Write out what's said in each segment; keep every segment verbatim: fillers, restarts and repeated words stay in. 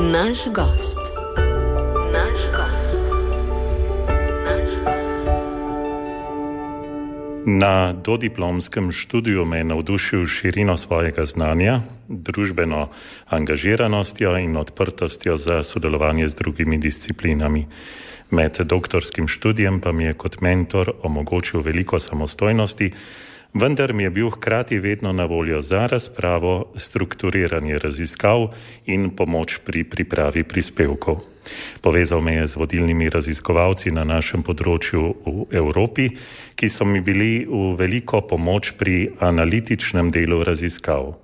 Naš gost. Naš gost. Naš gost. Na dodiplomskem študiju me je navdušil širino svojega znanja, družbeno angažiranostjo in odprtostjo za sodelovanje z drugimi disciplinami. Med doktorskim študijem pa mi je kot mentor omogočil veliko samostojnosti, vendar mi je bil hkrati vedno na voljo za razpravo, strukturiranje raziskav in pomoč pri pripravi prispevkov. Povezal me je z vodilnimi raziskovalci na našem področju v Evropi, ki so mi bili v veliko pomoč pri analitičnem delu raziskav.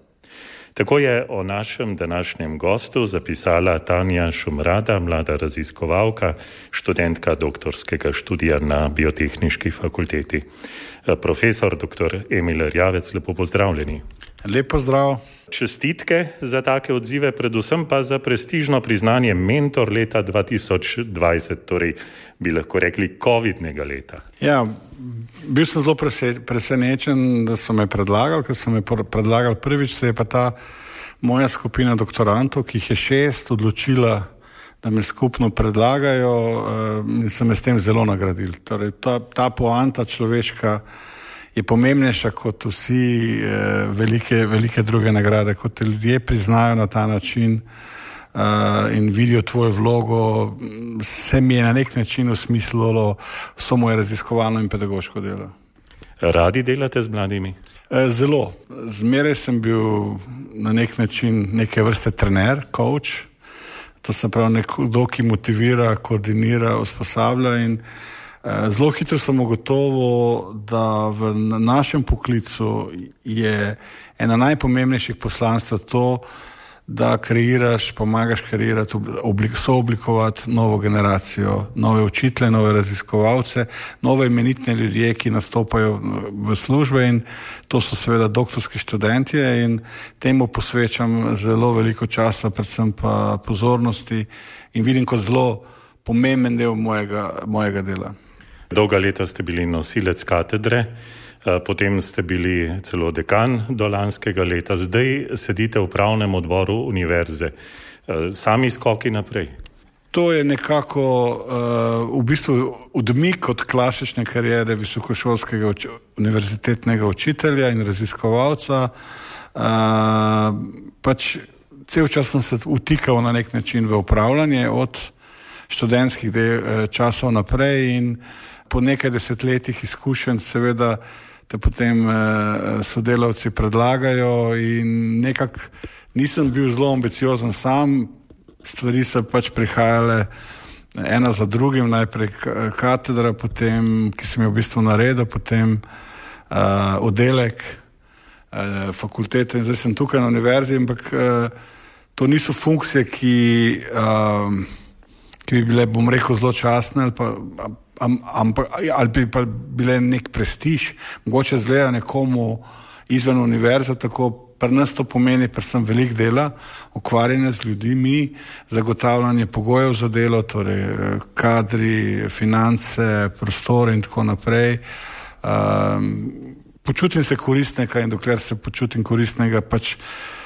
Tako je o našem današnjem gostu zapisala Tanja Šumrada, mlada raziskovalka, študentka doktorskega študija na Biotehniški fakulteti. Profesor doktor Emil Erjavec, lepo pozdravljeni. Lep pozdrav. Čestitke za take odzive, predvsem pa za prestižno priznanje mentor leta dva tisoč dvajset, torej bi lahko rekli covidnega leta. Ja, bil sem zelo presenečen, da so me predlagali, ker so me predlagali prvič, se je pa ta moja skupina doktorantov, ki jih je šest, odločila, da me skupno predlagajo in so me s tem zelo nagradili. Torej, ta, ta poanta človeška je pomembnejša kot vsi eh, velike, velike druge nagrade, kot te ljudje priznajo na ta način eh, in vidijo tvojo vlogo, se mi je na nek način usmislilo vso moje raziskovalno in pedagoško delo. Radi delate z mladimi? Eh, zelo. Zmeraj sem bil na nek način neke vrste trener, coach. To se pravi nekdo, ki motivira, koordinira, usposablja in zelo hitro sem ugotovil, da v našem poklicu je ena najpomembnejših poslanstv to, da kreiraš, pomagaš kreirati, sooblikovati novo generacijo, nove učitelje, nove raziskovalce, nove imenitne ljudje, ki nastopajo v službe in to so seveda doktorski študentje in temu posvečam zelo veliko časa, predvsem pa pozornosti in vidim kot zelo pomemben del mojega, mojega dela. Dolga leta ste bili nosilec katedre, potem ste bili celo dekan do lanskega leta, zdaj sedite v upravnem odboru univerze. Sami skoki naprej? To je nekako uh, v bistvu odmik od klasične kariere visokošolskega uč- univerzitetnega učitelja in raziskovalca. Uh, pač cel čas sem se utikal na nek način v upravljanje od študentskih de- časov naprej in po nekaj desetletjih izkušenj seveda te potem eh, sodelavci predlagajo in nekako nisem bil zelo ambiciozen sam, stvari so pač prihajale ena za drugim, najprej katedra, potem, ki sem jo v bistvu naredil, potem eh, oddelek, eh, fakultete in zdaj sem tukaj na univerzi, ampak eh, to niso funkcije, ki, eh, ki bi bile, bom rekel, zelo častne ali pa ampak ali bi pa bile nek prestiž, mogoče zgleda nekomu izven univerze, tako pri nas to pomeni predvsem veliko dela, ukvarjanje z ljudmi, zagotavljanje pogojev za delo, torej kadri, finance, prostore in tako naprej. Um, počutim se koristnega in dokler se počutim koristnega, pač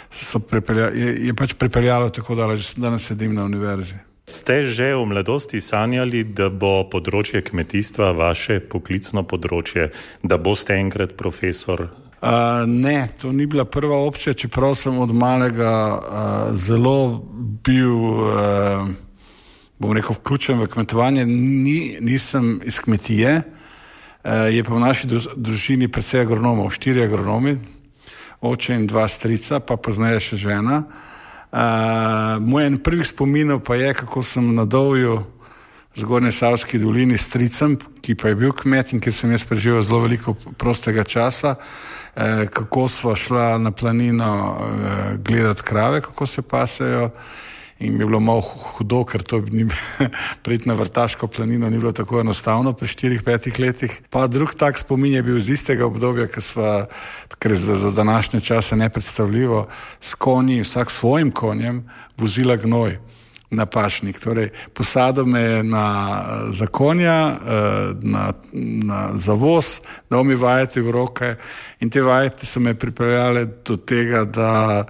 so pripelja, je, je pač pripeljalo tako daleč, da danes sedim na univerzi. Ste že v mladosti sanjali, da bo področje kmetijstva vaše poklicno področje, da boste enkrat profesor? Uh, ne, to ni bila prva opcija, čeprav sem od malega uh, zelo bil, uh, bom rekel, vključen v kmetovanje. Ni, nisem iz kmetije, uh, je pa v naši družini precej agronomov, štiri agronomi, oče in dva strica, pa pozneje še žena. Uh, moj en prvih spominov pa je, kako sem na Dovju v Zgornji Savski dolini s stricem, ki pa je bil kmet in ki sem jaz preživel zelo veliko prostega časa, uh, kako sva šla na planino uh, gledati krave, kako se pasejo in mi je bilo malo hudo, ker to ni priti na Vrtaško planino ni bilo tako enostavno pri štirih, petih letih. Pa drug tak spomin je bil iz istega obdobja, ker sva, ker je za današnje čase nepredstavljivo, s konji, vsak svojim konjem, vozila gnoj na pašnik. Torej, posadil me je na za konja, na, na zavoz, dal mi vajeti v roke in te vajeti so me pripeljale do tega, da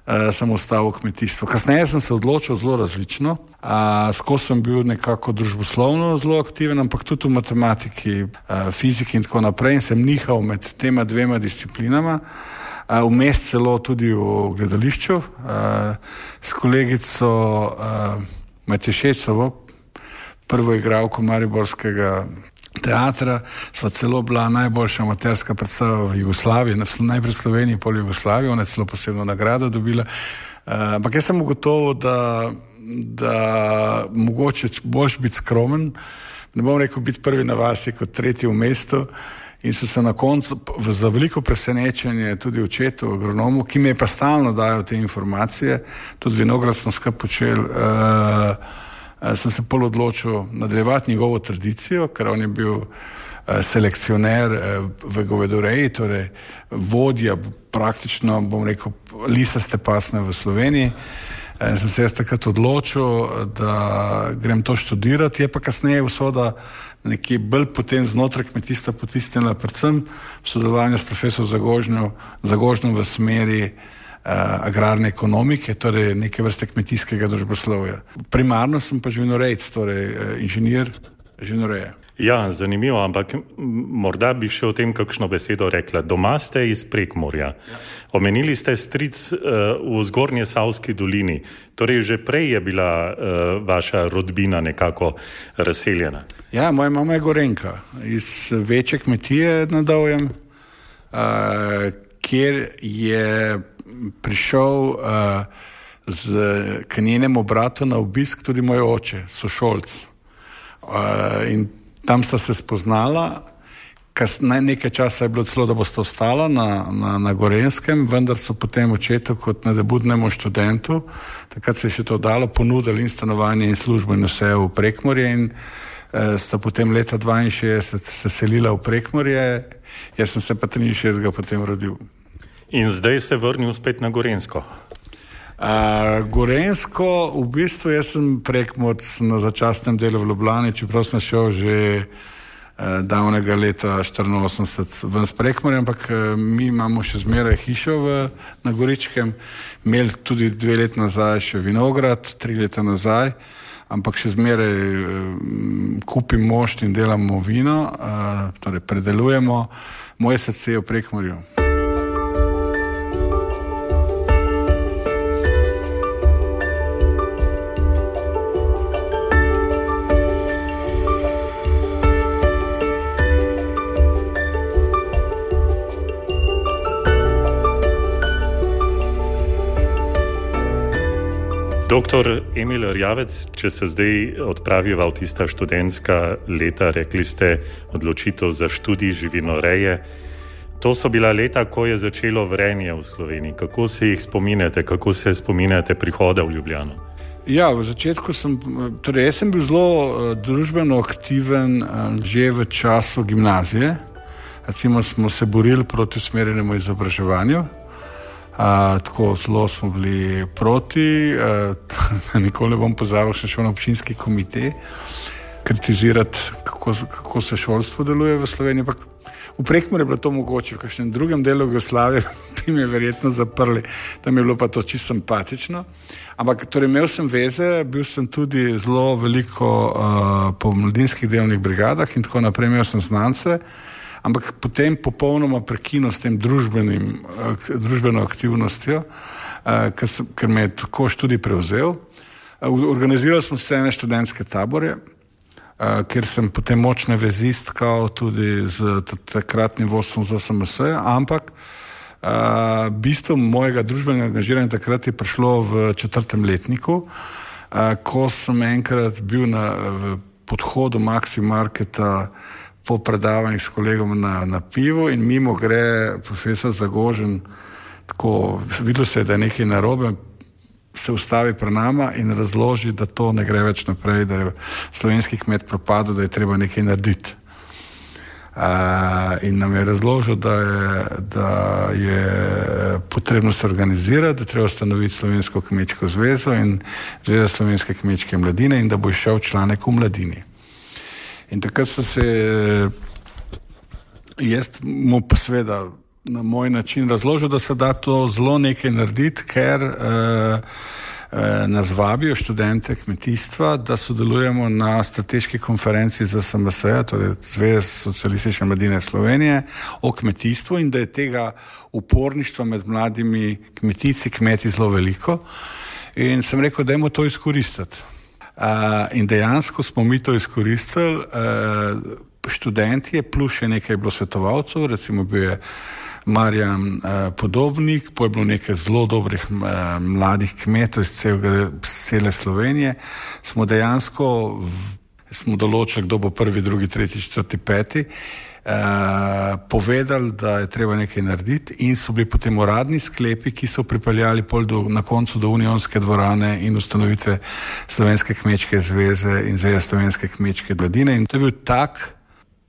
uh, sem ostal v kmetijstvu. Kasneje sem se odločil zelo različno. Uh, skozi sem bil nekako družboslovno zelo aktiven, ampak tudi v matematiki, uh, fiziki in tako naprej in sem nihal med tema dvema disciplinama. Uh, vmes celo tudi v gledališču uh, s kolegico uh, Matješečevo, prvo igralko mariborskega teatra, sva celo bila najboljša amaterska predstava v Jugoslaviji, najprej v Sloveniji, pol v Jugoslaviji, ona je celo posebno nagrado dobila. Uh, ampak jaz sem ugotovil, da, da mogoče boš biti skromen, ne bom rekel biti prvi na vasi kot tretji v mestu, in sem se na koncu za veliko presenečenje tudi očetu, agronomu, ki mi je pa stalno dajal te informacije, tudi vinograd smo skupaj počeli, uh, sem se pol odločil nadaljevati njegovo tradicijo, ker on je bil uh, selekcioner uh, v govedoreji, torej vodja praktično, bom rekel, lisaste pasme v Sloveniji. Uh, sem se jaz takrat odločil, da grem to študirati, je pa kasneje usoda nekje bolj potem znotraj kmetijstva potisnila, predvsem v sodelovanju s profesorjem Zagožnom v smeri Uh, agrarne ekonomike, torej neke vrste kmetijskega družboslovja. Primarno sem pa živinorejec, torej uh, inženir živinoreje. Ja, zanimivo, ampak morda bi še o tem kakšno besedo rekla. Doma ste iz Prekmurja. Ja. Omenili ste stric uh, v Zgornje Savski dolini. Torej že prej je bila uh, vaša rodbina nekako razseljena. Ja, moja mama je Gorenka iz večje kmetije na Dovjem, uh, kjer je prišel uh, z, k njenemu bratu na obisk tudi moj oče, sošolc. Uh, in tam sta se spoznala, kas, ne, nekaj časa je bilo celo, da bosta ostala na, na, na Gorenskem, vendar so potem očetu kot nadebudnemu študentu, takrat se je še to dalo, ponudili in stanovanje in službo in vse v Prekmurje in uh, sta potem leta dvainšestdeset se selila v Prekmurje, jaz sem se pa triinšestdesetega potem rodil. In zdaj se vrnil spet na Gorenjsko. Uh, Gorenjsko, v bistvu jaz sem Prekmurc na začasnem delu v Ljubljani, čeprav sem šel že uh, davnega leta štiriinosemdeset ven s Prekmurjem, ampak uh, mi imamo še zmeraj hišo v, na Goričkem, imeli tudi dve leti nazaj še vinograd, tri leta nazaj, ampak še zmeraj uh, kupim mošt in delamo vino, uh, torej predelujemo. Moje srce je v Prekmurju. Doktor Emil Erjavec, če se zdaj odpraviva v tista študentska leta, rekli ste odločitev za študij živinoreje. To so bila leta, ko je začelo vrenje v Sloveniji. Kako se jih spominjate, kako se spominjate prihoda v Ljubljano? Ja, v začetku sem, torej jaz sem bil zelo družbeno aktiven že v času gimnazije. Recimo smo se borili proti usmerjenemu izobraževanju. Uh, tako zelo smo bili proti, uh, nikoli ne bom pozabil, še šel na občinski komitej kritizirati, kako, kako se šolstvo deluje v Sloveniji. Pak v Prekmurju je bilo to mogoče, v kakšnem drugem delu Jugoslavije bi me verjetno zaprli, tam je bilo pa to čisto simpatično. Ampak torej imel sem veze, bil sem tudi zelo veliko uh, po mladinskih delovnih brigadah in tako naprej, imel sem znance. Ampak potem popolnoma prekinil s tem družbenim, družbeno aktivnostjo, ker, sem, ker me je tako študij prevzel. Organizirali smo se ene študentske tabore, kjer sem potem močne vezi stkal tudi z takratnim vodstvom Z S M S-ja, ampak bistvo mojega družbenega angažiranja takrat je prišlo v četrtem letniku, ko sem enkrat bil na v podhodu Maxi Marketa po predavanjih s kolegom na, na pivo in mimo gre profesor Zagožen, tako videlo se je, da je nekaj narobe, se ustavi pri nama in razloži, da to ne gre več naprej, da je slovenski kmet propadel, da je treba nekaj narediti. Uh, in nam je razložil, da je, da je potrebno se organizirati, da treba ustanoviti Slovensko kmečko zvezo in Zveza slovenske kmečke mladine in da bo išel članek v Mladini. In takrat so se, jaz mu pa seveda na moj način razložil, da se da to zelo nekaj narediti, ker uh, uh, nas vabijo študente kmetijstva, da sodelujemo na strateški konferenci Z S M S-ja, torej Zveze socialistične mladine Slovenije, o kmetijstvu in da je tega uporništva med mladimi kmetijci, kmeti zelo veliko. In sem rekel, dajmo to izkoristiti. Uh, in dejansko smo mi to izkoristili, uh, študentje plus še nekaj bilo svetovalcev, recimo bil je Marjan uh, Podobnik, pa je bilo nekaj zelo dobrih uh, mladih kmetov iz celega, cele Slovenije. Smo dejansko v, smo določili, kdo bo prvi, drugi, tretji, četrti, peti, uh, povedali, da je treba nekaj narediti in so bili potem uradni sklepi, ki so pripeljali pol do, na koncu do Unionske dvorane in ustanovitve Slovenske kmečke zveze in Zveze slovenske kmečke mladine. In to je bil tak,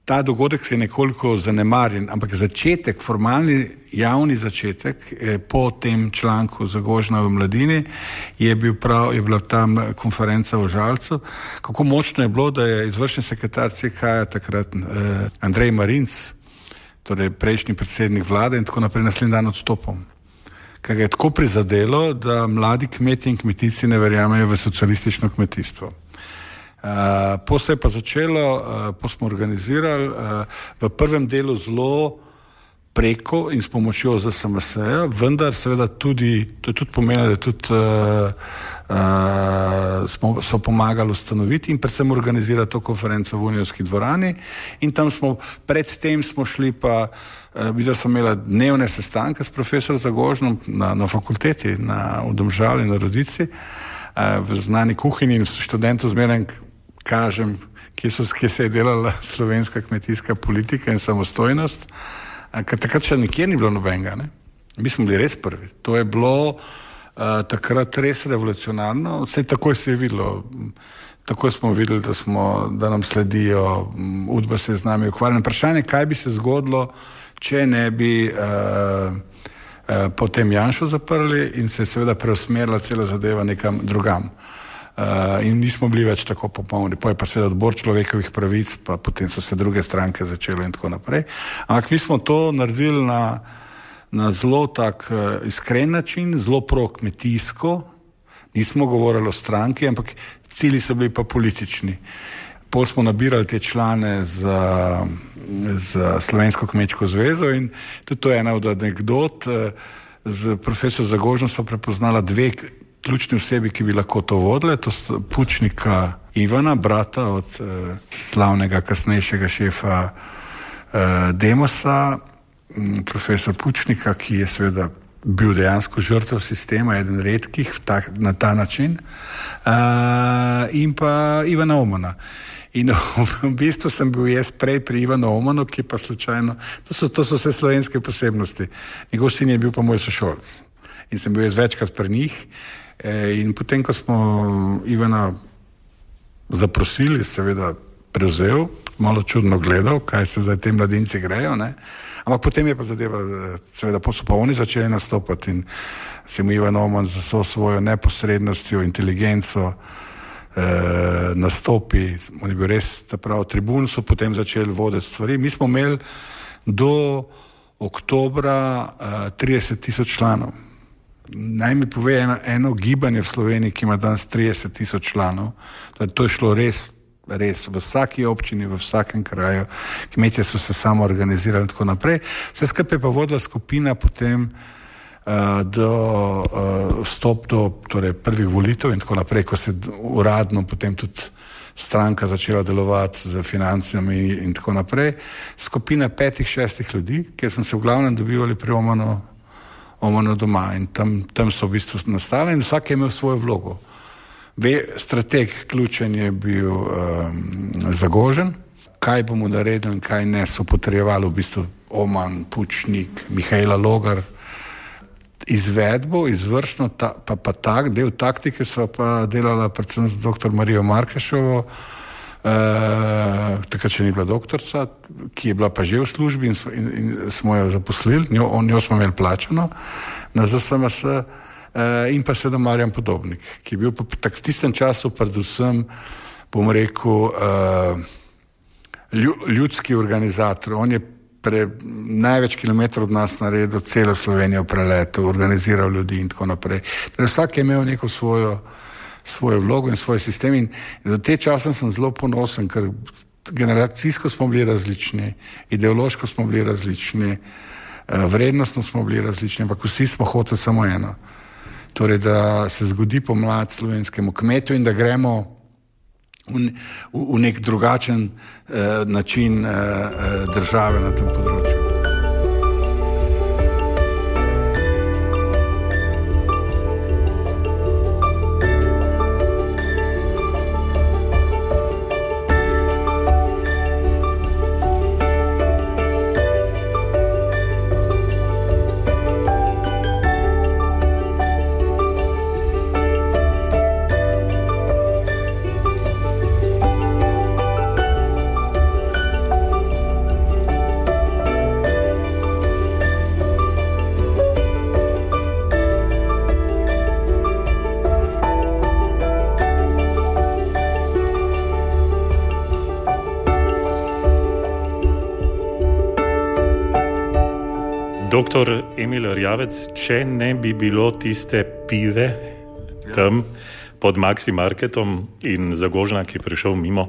ta dogodek se je nekoliko zanemarjen, ampak začetek, formalni javni začetek eh, po tem članku Zagožna v mladini je, bil prav, je bila tam konferenca v Žalcu. Kako močno je bilo, da je izvršni sekretar C K-ja takrat eh, Andrej Marinc, torej prejšnji predsednik vlade in tako naprej naslednji dan odstopil. Kaj ga je tako prizadelo, da mladi kmeti in kmetici ne verjamejo v socialistično kmetijstvo. Uh, po se je pa začelo, uh, po smo organizirali uh, v prvem delu zelo preko in s pomočjo Z S M S-ja, vendar seveda tudi, to je tudi pomenilo, da tudi uh, uh, smo, so pomagali ustanoviti in predvsem organizirati to konferenco v Unionski dvorani in tam smo, predtem smo šli pa, uh, videli smo imela dnevne sestanke s profesor Zagožnom na, na fakulteti, na, v Domžali, na Rodici, uh, v znani kuhinji in študentov zmeraj kažem, kje, so, kje se je delala slovenska kmetijska politika in samostojnost, ker takrat še nikjer ni bilo nobenega. Ne? Mi smo bili res prvi. To je bilo uh, takrat res revolucionarno. Vse takoj se je videlo. Takoj smo videli, da, smo, da nam sledijo, Udba se je z nami ukvarjala. Vprašanje, kaj bi se zgodilo, če ne bi uh, uh, potem Janšo zaprli in se je seveda preusmerila cela zadeva nekam drugam. Uh, in nismo bili več tako popolni. Pa je pa seveda odbor človekovih pravic, pa potem so se druge stranke začele in tako naprej. Ampak mi smo to naredili na, na zelo tak uh, iskren način, zelo pro-kmetijsko. Nismo govorili o stranki, ampak cilji so bili pa politični. Pol smo nabirali te člane za, za Slovensko kmečko zvezo in tudi to je ena od anekdot. Z profesor Zagožno smo prepoznala dve ključni osebi, ki bi lahko to vodile, to sta Pučnika Ivana, brata od eh, slavnega kasnejšega šefa eh, Demosa, m, profesor Pučnika, ki je seveda bil dejansko žrtev sistema, eden redkih tak, na ta način, eh, in pa Ivana Omana. In v bistvu sem bil jaz prej pri Ivanu Omanu, ki pa slučajno, to so, to so vse slovenske posebnosti. Njegov sin je bil pa moj sošolc. In sem bil jaz večkrat pri njih. In potem, ko smo Ivana zaprosili, seveda prevzel, malo čudno gledal, kaj se zdaj te mladinci grejo, ne? Ampak potem je pa zadeva, seveda so pa oni začeli nastopati in se mu Ivan Oman za so svojo neposrednostjo, inteligenco eh, nastopi, on je bil res, ta prav tribun, so potem začeli voditi stvari. Mi smo imeli do oktobra eh, trideset tisoč članov. Naj mi pove eno, eno gibanje v Sloveniji, ki ima danes trideset tisoč članov. To je šlo res, res v vsaki občini, v vsakem kraju. Kmetje so se samo organizirali in tako naprej. Vse skupaj pa vodila skupina potem uh, do uh, vstop do torej, prvih volitev in tako naprej, ko se uradno potem tudi stranka začela delovati z financami in tako naprej. Skupina petih, šestih ljudi, kjer smo se v glavnem dobivali pri Omanu Omano doma in tam, tam so v bistvu nastale in vsak je imel svojo vlogo. Ve, strateg ključen je bil um, Zagožen, kaj bomo naredili in kaj ne, so potrjevali v bistvu Oman, Pučnik, Mihajla Logar. Izvedbo, izvršno, ta, pa, pa tak, del taktike so pa delala predvsem z doktor Marijo Markešovo, Uh, takrat še ni bila doktorca, ki je bila pa že v službi in, in, in smo jo zaposlili, njo, njo smo imeli plačano na Z S M S uh, in pa seveda Marjan Podobnik, ki je bil pa tak v tistem času predvsem, bom rekel, uh, ljudski organizator. On je pre, največ kilometrov od nas naredil, celo Slovenijo preletel, organiziral ljudi in tako naprej. Torej, vsak je imel neko svojo, svojo vlogo in svoj sistem in za te čase sem zelo ponosen, ker generacijsko smo bili različni, ideološko smo bili različni, vrednostno smo bili različni, ampak vsi smo hoteli samo eno. Torej, da se zgodi pomlad slovenskemu kmetu in da gremo v, v, v nek drugačen eh, način eh, države na tem področju. Doktor Emil Erjavec, če ne bi bilo tiste pive tam pod Maxi Marketom in Zagožna, ki je prišel mimo,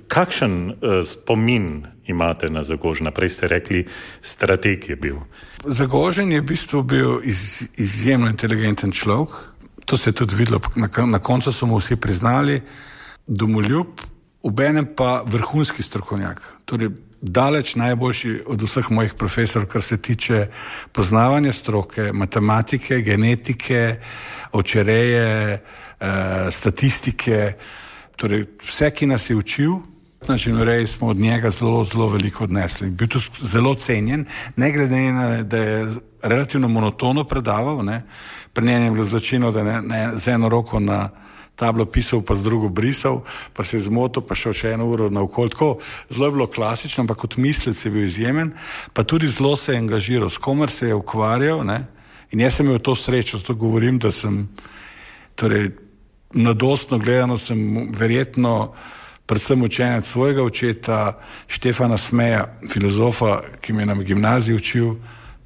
kakšen uh, spomin imate na Zagožna? Prej ste rekli, strateg je bil. Zagožen je v bistvu bil iz, izjemno inteligenten človek. To se je tudi videlo, na, na koncu so mu vsi priznali, domoljub, obenem pa vrhunski strokovnjak. Torej, daleč najboljši od vseh mojih profesorov, kar se tiče poznavanja stroke, matematike, genetike, očereje, eh, statistike, torej vse, ki nas je učil, na živinoreji smo od njega zelo, zelo veliko odnesli. Bil tudi zelo cenjen, ne glede na, da je relativno monotono predaval, ne. Pri njem je bilo značilno, da ne, ne z eno roko na tablo pisal, pa z drugo brisal, pa se je zmotil, pa šel še eno uro naokoli. Tako, zelo je bilo klasično, ampak kot mislec je bil izjemen, pa tudi zelo se je angažiral, s komer se je ukvarjal, ne? In jaz sem imel to srečo, zato govorim, da sem, torej, mladostno gledano sem verjetno predvsem učenec svojega očeta, Štefana Smeja, filozofa, ki me je na gimnaziji učil,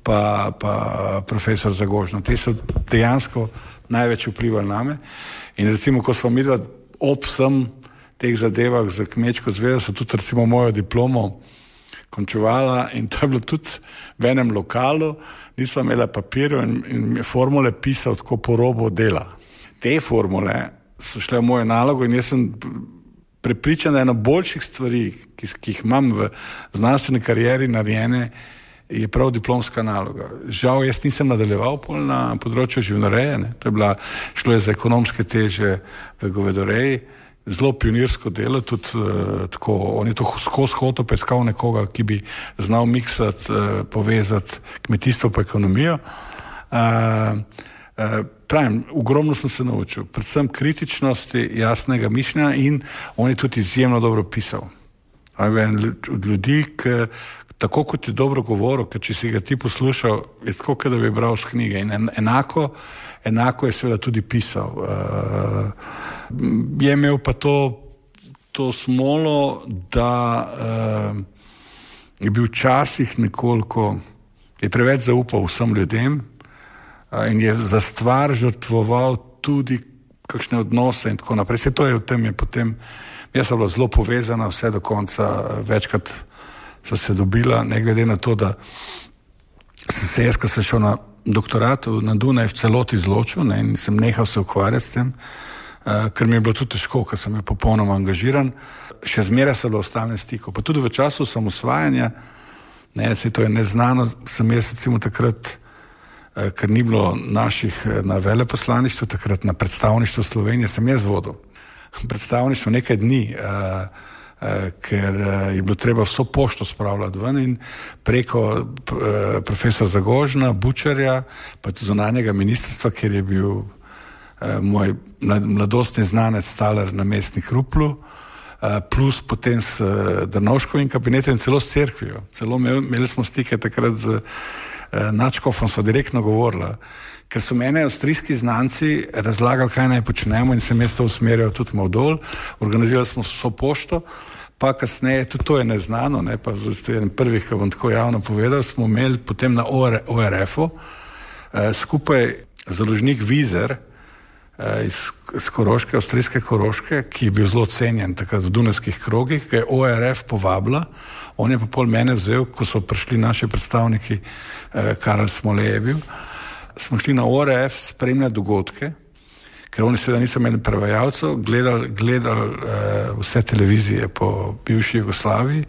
pa, pa profesor Zagožna. Te so dejansko največ vplivali name. In recimo, ko smo midva ob vsem teh zadevah za kmečko zvezo, so tudi recimo mojo diplomo končevala in to je bilo tudi v enem lokalu, nisva imela papirja in, in formule pisal tako po robu dela. Te formule so šle v mojo nalogo in jaz sem prepričan, da ena boljših stvari, ki, ki jih imam v znanstveni karieri narejene, je prav diplomska naloga. Žal, jaz nisem nadaljeval pol na področju živinoreje, ne. To je bila, šlo je za ekonomske teže v govedoreji, zelo pionirsko delo, tudi uh, tako, on je to skozi hotel peskal nekoga, ki bi znal miksati, uh, povezati kmetijstvo pa ekonomijo. Uh, uh, pravim, ogromno sem se naučil, predvsem kritičnosti, jasnega mišljenja in on je tudi izjemno dobro pisal. Od ljudi, ki tako kot je dobro govoril, ker če si ga ti poslušal, je tako, da bi bral z knjige. In enako, enako je seveda tudi pisal. Uh, je imel pa to, to smolo, da uh, je bil včasih nekoliko, je preveč zaupal vsem ljudem uh, in je za stvar žrtvoval tudi kakšne odnose in tako naprej. Vse to je v tem, je potem, jaz sem bila zelo povezana vse do konca, večkrat so se dobila, ne glede na to, da sem se jaz, ko sem šel na doktorat na Dunaj, v celoti izločil, ne, in sem nehal se ukvarjati s tem, uh, ker mi je bilo tudi težko, ker sem bil popolnoma angažiran. Še zmeraj sem bil v stalnem stiku. Pa tudi v času samosvajanja, ne, se to je neznano, sem jaz recimo takrat, uh, ker ni bilo naših na veleposlaništvu, takrat na predstavništvu Slovenije, sem jaz vodil. Predstavništvo nekaj dni, uh, Uh, ker uh, je bilo treba vso pošto spravljati ven in preko uh, profesor Zagožna, Bučarja, pa tudi zunanjega ministrstva, ker je bil uh, moj mladostni znanec Staler namestnik Ruplu, uh, plus potem s uh, Drnovškovim kabinetom in celo s cerkvijo. Celo imeli, imeli smo stike takrat z uh, nadškofom, sva direktno govorila, ker so mene avstrijski znanci razlagali, kaj naj počnemo in sem jaz to usmerjal tudi malo dol. Organizirali smo vso pošto, pa kasneje, tudi to je neznano, ne, pa zato je en prvih, ki bom tako javno povedal, smo imeli potem na O R F-u eh, skupaj založnik Vizer eh, iz, iz Koroške, avstrijske Koroške, ki je bil zelo cenjen takrat v dunajskih krogih, ki je O R F povabila, on je pa pol mene vzel, ko so prišli naši predstavniki, eh, Karel Smole je bil, smo šli na O R F spremljati dogodke, ker oni seveda niso imeli prevajalcev, gledali, gledali uh, vse televizije po bivši Jugoslaviji,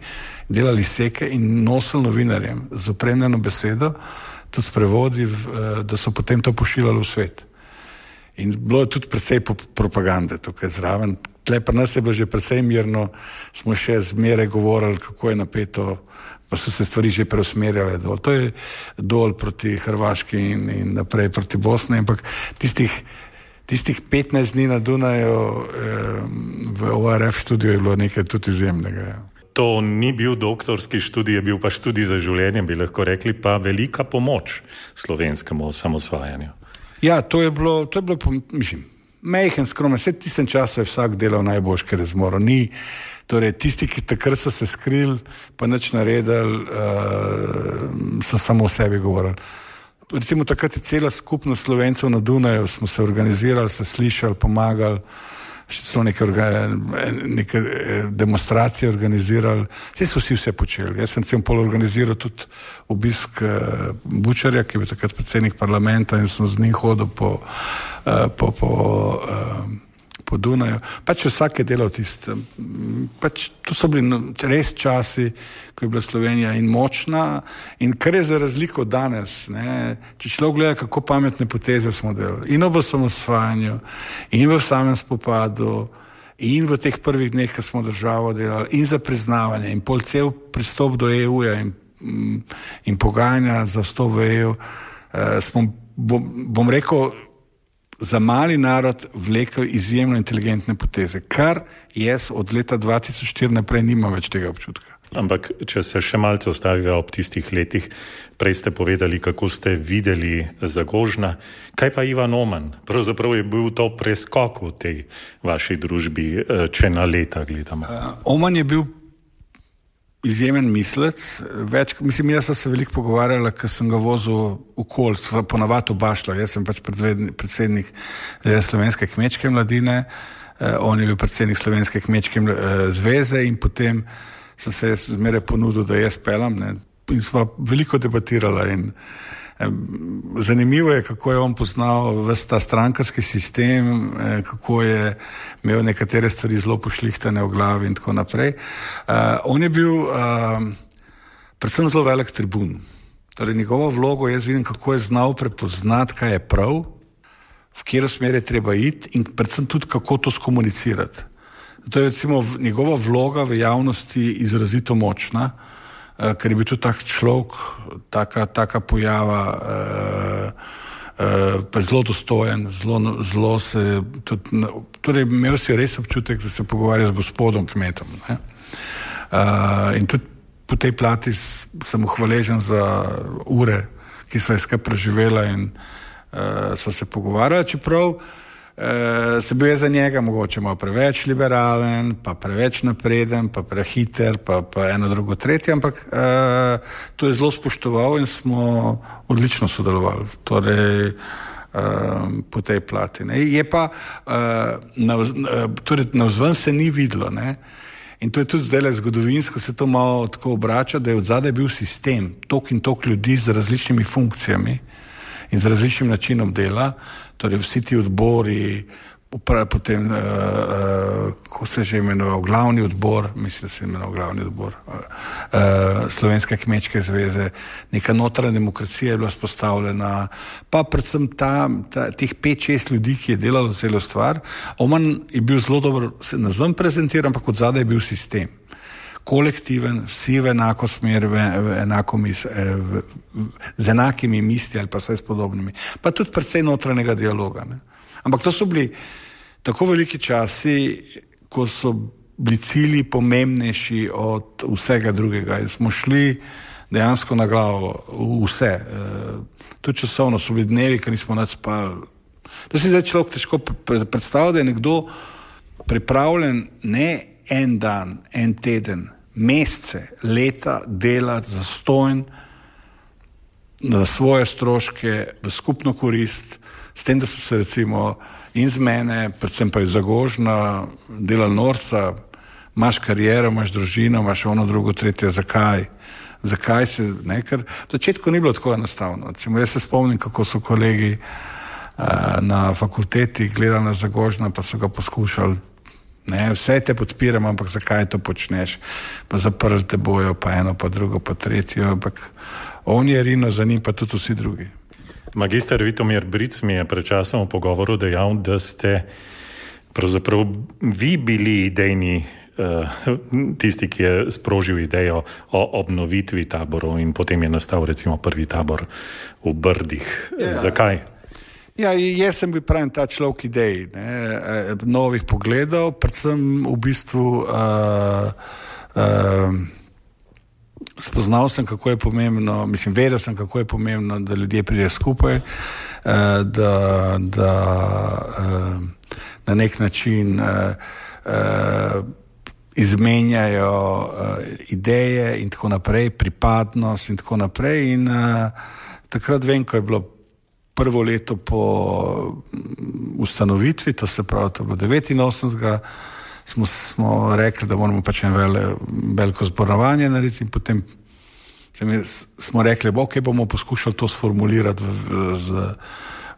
delali seke in nosili novinarjem z opremljeno besedo, tudi s prevodi, uh, da so potem to pošiljali v svet. In bilo je tudi precej propagande tukaj zraven. Tle pri nas je bilo že precej mirno, smo še zmeraj govorili, kako je napeto, pa so se stvari že preusmerjale dol. To je dol proti Hrvaški in, in naprej proti Bosni, ampak tistih Tistih petnajst dni na Dunaju eh, v O R F študiju je bilo nekaj tudi izjemnega. Ja. To ni bil doktorski študij, je bil pa študij za življenje, bi lahko rekli, pa velika pomoč slovenskemu osamosvajanju. Ja, to je bilo, to je bilo, mislim, majhen, skromen, vse tistem času je vsak delal najboljš, ker je zmoral. Ni, torej, tisti, ki takrat so se skrili, pa nič naredili, uh, so samo o sebi govorili. Recimo takrat je cela skupnost Slovencev na Dunaju, smo se organizirali, se slišali, pomagali, še celo neke, neke demonstracije organizirali, vse so vsi vse počeli. Jaz sem cel pol organiziral tudi obisk uh, Bučarja, ki je bil takrat predsednik parlamenta in sem z njim hodil po, uh, po, po, uh, po Dunaju. Pač vsak je delal tisto. Pač to so bili res časi, ko je bila Slovenija in močna in kar je za razliko danes, ne, če človek gleda, kako pametne poteze smo delali. In ob osamosvajanju, in v samem spopadu, in v teh prvih dneh, ko smo državo delali, in za priznavanje, in pol cel pristop do E U-ja in, in pogajanja za vstop v E U, eh, smo, bom, bom rekel, za mali narod vlekel izjemno inteligentne poteze, kar jaz od leta dva tisoč štiri naprej nimam več tega občutka. Ampak, če se še malce ostaviva ob tistih letih, prej ste povedali, kako ste videli Zagožna. Kaj pa Ivan Oman? Pravzaprav je bil to preskok v tej vaši družbi, če na leta gledamo. Uh, Oman je bil izjemen mislec, več, mislim, jaz sem se veliko pogovarjala, ker sem ga vozil okoli, ponavadi v Bašlo, jaz sem pač predsednik Slovenske kmečke mladine, eh, on je bil predsednik Slovenske kmečke eh, zveze in potem sem se zmeraj ponudil, da jaz pelam, ne, in smo veliko debatirala in eh, zanimivo je, kako je on poznal ves ta strankarski sistem, eh, kako je imel nekatere stvari zelo pošlihtane v glavi in tako naprej. Uh, on je bil uh, predvsem zelo velik tribun. Torej, njegovo vlogo jaz vidim, kako je znal prepoznati, kaj je prav, v katero smer je treba iti in predvsem tudi, kako to skomunicirati. To je recimo njegova vloga v javnosti izrazito močna, uh, ker je bil tudi tak človek, taka, taka pojava, uh, Uh, pa je zelo dostojen, zelo, zelo se tudi, torej imel si res občutek, da se pogovarja z gospodom kmetom. Ne? Uh, in tudi po tej plati sem mu hvaležen za ure, ki sva je skupaj preživela in uh, sva se pogovarjala, čeprav Uh, se bil je za njega mogoče malo preveč liberalen, pa preveč napreden, pa prehiter, pa, pa eno drugo tretje, ampak uh, to je zelo spoštoval in smo odlično sodelovali. Torej, uh, po tej plati. Ne. Je pa, uh, navz, uh, torej, navzven se ni videlo, ne. In to je tudi zdaj zgodovinsko, se to malo tako obrača, da je od zadaj bil sistem, tok in tok ljudi z različnimi funkcijami in z različnim načinom dela, torej vsi ti odbori, potem, uh, uh, ko se že imenoval glavni odbor, mislim, da se je imenoval glavni odbor uh, Slovenske kmečke zveze, neka notranja demokracija je bila spostavljena, pa predvsem ta, ta, teh pet, šest ljudi, ki je delalo celo stvar. Oman je bil zelo dobro, se nazvam prezentiran, ampak od zadaj je bil sistem. Kolektiven, vsi v enako smer, v, v enako mis, v, v, z enakimi misli ali pa vse s podobnimi. Pa tudi precej notranjega dialoga. Ne? Ampak to so bili tako veliki časi, ko so bili cilji pomembnejši od vsega drugega. In smo šli dejansko na glavo v vse. E, tudi časovno so bili dnevi, ko nismo nič spali. To si zdaj človek težko predstavlja, da je nekdo pripravljen ne en dan, en teden, mesece, leta delati zastonj na svoje stroške, v skupno korist, s tem, da so se recimo in z mene, predvsem pa iz Zagožna, delali norca, imaš kariero, imaš družino, imaš ono, drugo, tretje, zakaj? Zakaj se, ne, ker v začetku ni bilo tako enostavno. Recimo, jaz se spomnim, kako so kolegi uh, na fakulteti gledali na Zagožna, pa so ga poskušali, ne, vse te podpiram, ampak zakaj to počneš? Pa zaprli te bojo, pa eno, pa drugo, pa tretjo, ampak on je rino, za njim pa tudi vsi drugi. Magister Vitomir Bric mi je pred časom v pogovoru dejal, da ste pravzaprav vi bili idejni tisti, ki je sprožil idejo o obnovitvi taborov in potem je nastal recimo prvi tabor v Brdih. Ja. Zakaj? Ja, jaz sem bil pravim ta človek idej, ne, novih pogledov, predvsem v bistvu uh, uh, spoznal sem, kako je pomembno, mislim, vedel sem, kako je pomembno, da ljudje pridejo skupaj, uh, da, da uh, na nek način uh, uh, izmenjajo uh, ideje in tako naprej, pripadnost in tako naprej in uh, takrat vem, ko je bilo prvo leto po ustanovitvi, to se pravi, to je bilo devetinosemdesetega, smo, smo rekli, da moramo pač en vele, veliko zborovanje narediti in potem smo rekli, ok, bomo poskušali to sformulirati v, v, z,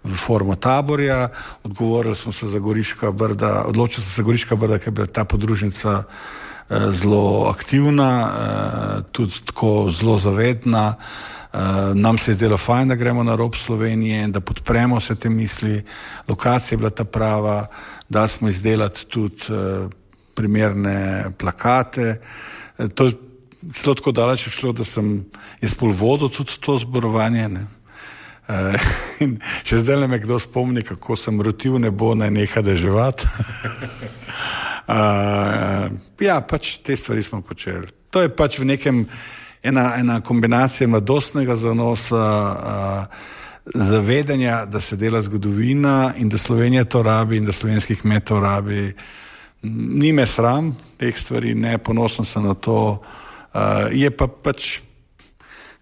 v formo taborja, odgovorili smo se za Goriška Brda, odločili smo se za Goriška Brda, ker je bila ta podružnica eh, zelo aktivna, eh, tudi tako zelo zavedna. Uh, nam se je zdelo fajn, da gremo na rob Slovenije in da podpremo vse te misli. Lokacija je bila ta prava, da smo izdelati tudi uh, primerne plakate. Uh, to je celo tako daleč šlo, da sem jaz pol vodil tudi to zborovanje. Ne? Uh, in še zdaj me kdo spomni, kako sem rotil nebo naj neha deževati. uh, ja, pač te stvari smo počeli. To je pač v nekem Ena, ena kombinacija mladostnega zanosa, uh, zavedanja, da se dela zgodovina in da Slovenija to rabi in da slovenski kmet to rabi. Ni me sram teh stvari, ne, ponosen sem na to. Uh, je pa pač,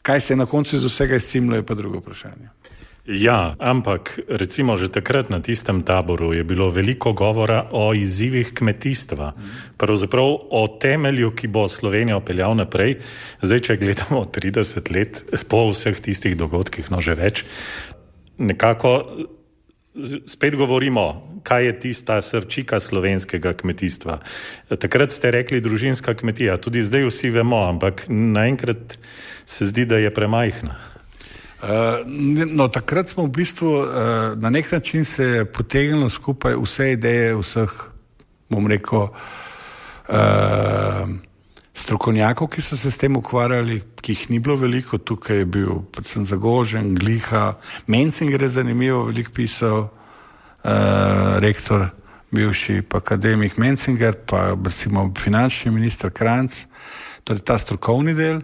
kaj se je na koncu iz vsega izcimlo, je pa drugo vprašanje. Ja, ampak recimo že takrat na tistem taboru je bilo veliko govora o izzivih kmetijstva, pravzaprav o temelju, ki bo Slovenijo peljal naprej. Zdaj, če gledamo trideset let po vseh tistih dogodkih, no že več, nekako spet govorimo, kaj je tista srčika slovenskega kmetijstva. Takrat ste rekli družinska kmetija, tudi zdaj vsi vemo, ampak naenkrat se zdi, da je premajhna. Uh, no, takrat smo v bistvu uh, na nek način se potegnili skupaj vse ideje vseh, bom rekel, uh, strokovnjakov, ki so se s tem ukvarjali, ki jih ni bilo veliko. Tukaj je bil predvsem Zagožen, Gliha, Menzinger je zanimivo, veliko pisal, uh, rektor, bivši pa akademik Menzinger, pa recimo finančni minister Kranjc, torej ta strokovni del.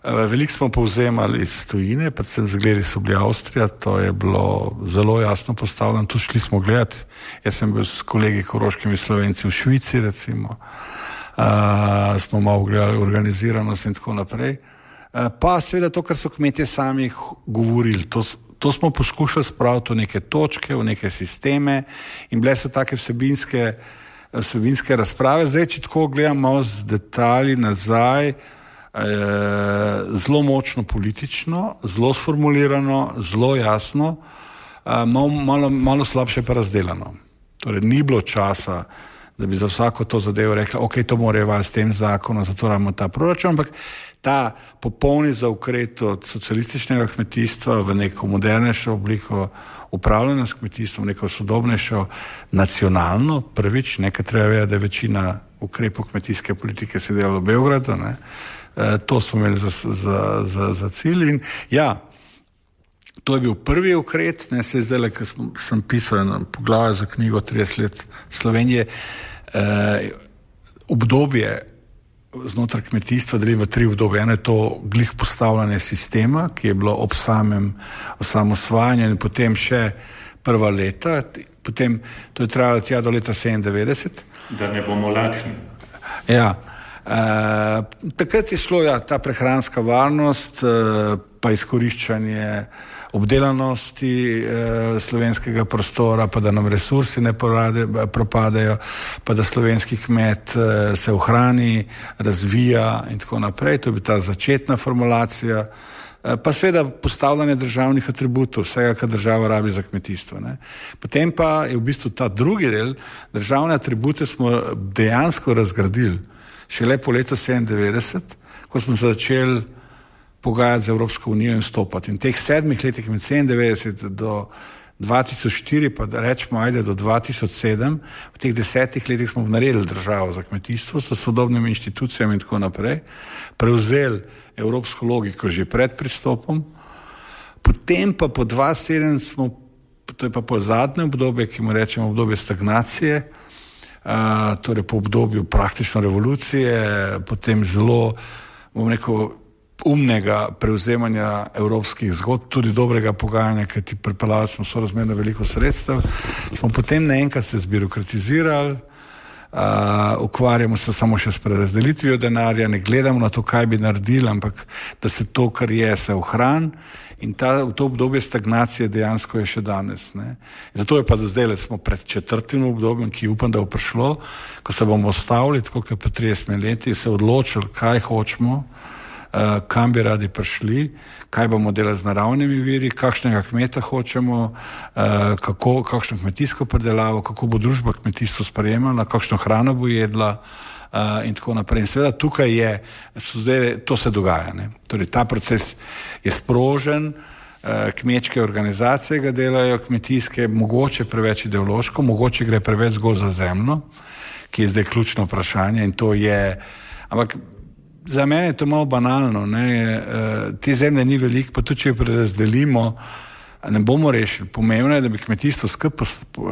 Veliko smo povzemali iz tujine, predvsem zgledi so bili Avstrija, to je bilo zelo jasno postavljeno, tu šli smo gledati, jaz sem bil s kolegi koroškimi Slovenci v Švici recimo, uh, smo malo gledali organiziranost in tako naprej, uh, pa seveda to, kar so kmetje sami govorili, to, to smo poskušali spraviti v neke točke, v neke sisteme in bile so take vsebinske, vsebinske razprave. Zdaj, če tako gledam malo z detalji nazaj, zelo močno politično, zelo sformulirano, zelo jasno, malo, malo, malo slabše pa razdelano. Torej, ni bilo časa, da bi za vsako to zadevo rekli, ok, to morajo vas s tem zakonom, zato imamo ta proračun, ampak ta popolni zaokret od socialističnega kmetijstva v neko modernejšo obliko upravljanja s kmetijstvom, neko sodobnejšo, nacionalno, prvič, nekaj treba vedeti, da je večina ukrepov kmetijske politike se delalo v Beogradu, ne. E, to smo imeli za, za, za, za cilj in ja, to je bil prvi ukrep, ne, se je zdaj, ker sem pisal eno poglavje za knjigo trideset let Slovenije, e, obdobje znotraj kmetijstva delim v tri obdobje. Eno je to glih postavljanje sistema, ki je bilo ob samem osamosvajanju in potem še prva leta, potem to je trajalo tja do leta sedemindevetdeset. Da ne bomo lačni. Ja, uh, takrat je šlo ja, ta prehranska varnost, uh, pa izkoriščanje obdelanosti uh, slovenskega prostora, pa da nam resursi ne porade, propadajo, pa da slovenski kmet uh, se ohrani, razvija in tako naprej. To je bila ta začetna formulacija. Pa seveda postavljanje državnih atributov, vsega, kar država rabi za kmetijstvo. Ne. Potem pa je v bistvu ta drugi del, državne atribute smo dejansko razgradili šele po letu sedemindevetdeset, ko smo začeli pogajati z Evropsko unijo in stopati. In teh sedmih letih med sedemindevetdeset do dva tisoč štiri, pa da rečemo, ajde do dva tisoč sedem, v teh desetih letih smo naredili državo za kmetijstvo s sodobnimi inštitucijami in tako naprej, prevzeli evropsko logiko že pred pristopom, potem pa po dva tisoč sedem smo, to je pa po zadnje obdobje, ki mu rečemo obdobje stagnacije, uh, torej po obdobju praktično revolucije, potem zelo, bom rekel, umnega prevzemanja evropskih zgodb, tudi dobrega pogajanja, ker ti pripeljali smo sorazmerno veliko sredstev, smo potem naenkrat se zbirokratizirali, uh, ukvarjamo se samo še s prerazdelitvijo denarja, ne gledamo na to, kaj bi naredili, ampak da se to, kar je, se ohrani in ta, to obdobje stagnacije dejansko je še danes. Ne. Zato je pa do zdaj, smo pred četrtim obdobjem, ki upam, da bo prišlo, ko se bomo ostavili, tako kot pa trideset leti, se odločili, kaj hočemo, Uh, kam bi radi prišli, kaj bomo delali z naravnimi viri, kakšnega kmeta hočemo, uh, kako, kakšno kmetijsko predelavo, kako bo družba kmetijstvo sprejemala, kakšno hrano bo jedla uh, in tako naprej. In seveda tukaj je, zdaj, to se dogaja. Ne? Torej, ta proces je sprožen, uh, kmečke organizacije ga delajo, kmetijske, mogoče preveč ideološko, mogoče gre preveč zgolj za zemljo, ki je zdaj ključno vprašanje in to je, ampak za mene je to malo banalno, ne? Te zemlje ni veliko, pa tudi če jo prerazdelimo, ne bomo rešili. Pomembno je, da bi kmetijstvo skupaj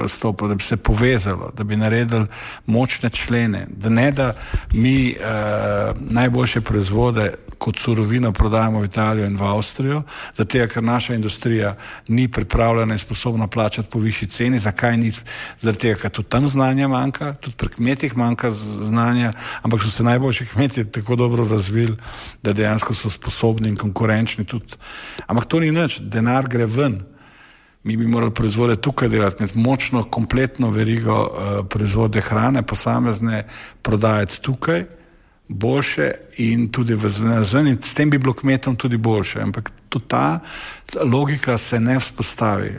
stopilo, da bi se povezalo, da bi naredili močne člene, da ne da mi uh, najboljše proizvode kot surovino prodajamo v Italijo in v Avstrijo, zato ker naša industrija ni pripravljena in sposobna plačati po višji ceni. Zakaj ni? Zato ker tudi tam znanja manjka, tudi pri kmetih manjka znanja, ampak so se najboljši kmetje tako dobro razvili, da dejansko so sposobni in konkurenčni tudi. Ampak to ni nič, denar gre ven. Mi bi morali proizvode tukaj delati, imeti močno, kompletno verigo uh, proizvode hrane, posamezne prodajati tukaj, boljše in tudi v zven in s tem bi bilo kmetom tudi boljše, ampak tudi ta logika se ne vzpostavi.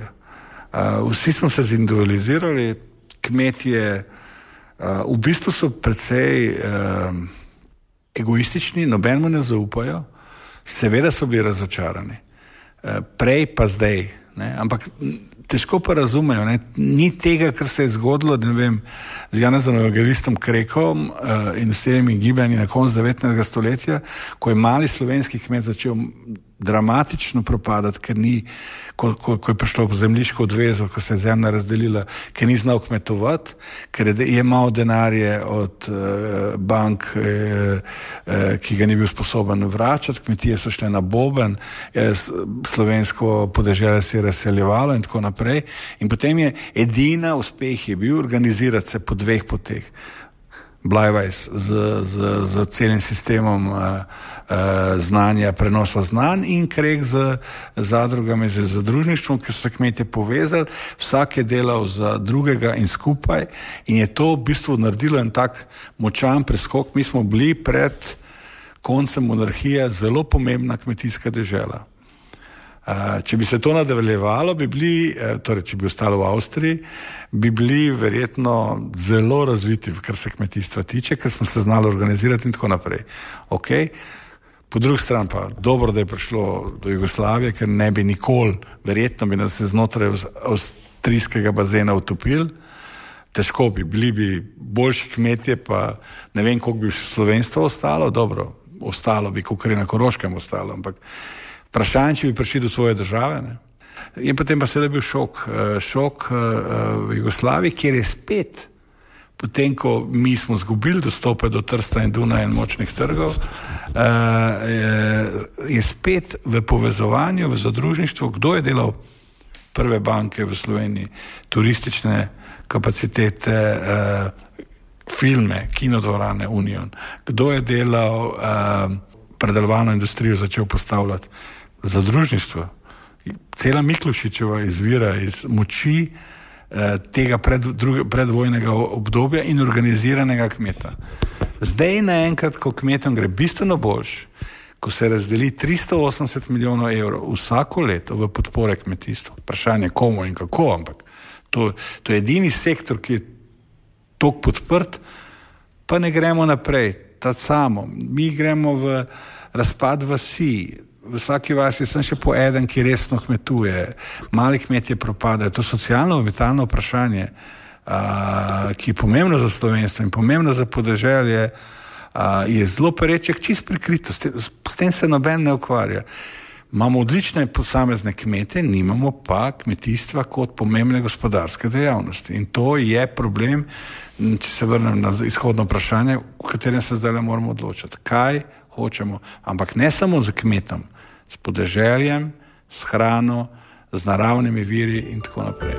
Uh, vsi smo se zindividualizirali, kmetje uh, v bistvu so precej uh, egoistični, nobenemu ne zaupajo, seveda so bili razočarani, uh, prej pa zdaj, ne? Ampak težko pa razumejo, ne? Ni tega, kar se je zgodilo, ne vem, z Janezom Evangelistom Krekom uh, in vsemi gibanji na koncu devetnajstega stoletja, ko je mali slovenski kmet začel dramatično propadati, ker ni, ko, ko, ko je prišlo v zemljiško odvezo, ko se je zemlja razdelila, ker ni znal kmetovati, ker je imel denarje od uh, bank, uh, uh, ki ga ni bil sposoben vračati, kmetije so šle na boben, eh, slovensko podeželje se je razseljevalo in tako naprej. In potem je edina uspeh je bil organizirati se po dveh poteh. Blajvajs z, z, z celim sistemom uh, uh, znanja, prenosa znanj in Krek z zadrugami, z zadružništvom, ki so se kmetje povezali, vsak je delal za drugega in skupaj in je to v bistvu naredilo en tak močan preskok. Mi smo bili pred koncem monarhije zelo pomembna kmetijska dežela. Uh, če bi se to nadaljevalo, bi bili, torej če bi ostalo v Avstriji, bi bili verjetno zelo razviti, kar se kmetijstva tiče, ker smo se znali organizirati in tako naprej. Okay. Po drugi strani pa dobro, da je prišlo do Jugoslavije, ker ne bi nikoli, verjetno bi nas se znotraj avstrijskega bazena utopili, težko bi, bili bi boljši kmetje, pa ne vem, koliko bi slovenstvo ostalo, dobro, ostalo bi, koliko je na Koroškem ostalo, ampak vprašanje, če bi prišli do svoje države. Ne? In potem pa seveda bil šok, šok v Jugoslaviji, kjer je spet, potem ko mi smo zgubili dostope do Trsta in Dunaja in močnih trgov, je spet v povezovanju, v zadružništvu, kdo je delal prve banke v Sloveniji, turistične kapacitete, filme, kinodvorane Union, kdo je delal uh, predelovalno industrijo, začel postavljati zadružništvo. Cela Miklošičeva izvira iz moči uh, tega pred, druge, predvojnega obdobja in organiziranega kmeta. Zdaj naenkrat, ko kmetom gre bistveno boljš, ko se razdeli tristo osemdeset milijonov evrov vsako leto v podpore kmetijstvu, vprašanje komu in kako, ampak to, to je edini sektor, ki je toliko podprt, pa ne gremo naprej, ta samo. Mi gremo v razpad vasi, v vsaki vasi sem še po eden, ki resno kmetuje, mali kmetje propadajo, to socialno, vitalno vprašanje, a, ki je pomembno za slovenstvo in pomembno za podeželje, a, je zelo pereček, čist prikrito, s tem, s tem se noben ne ukvarja. Imamo odlične posamezne kmete, nimamo pa kmetijstva kot pomembne gospodarske dejavnosti. In to je problem, če se vrnem na izhodno vprašanje, v katerem se zdaj moramo odločiti. Kaj hočemo? Ampak ne samo z kmetom, s podeželjem, s hrano, z naravnimi viri in tako naprej.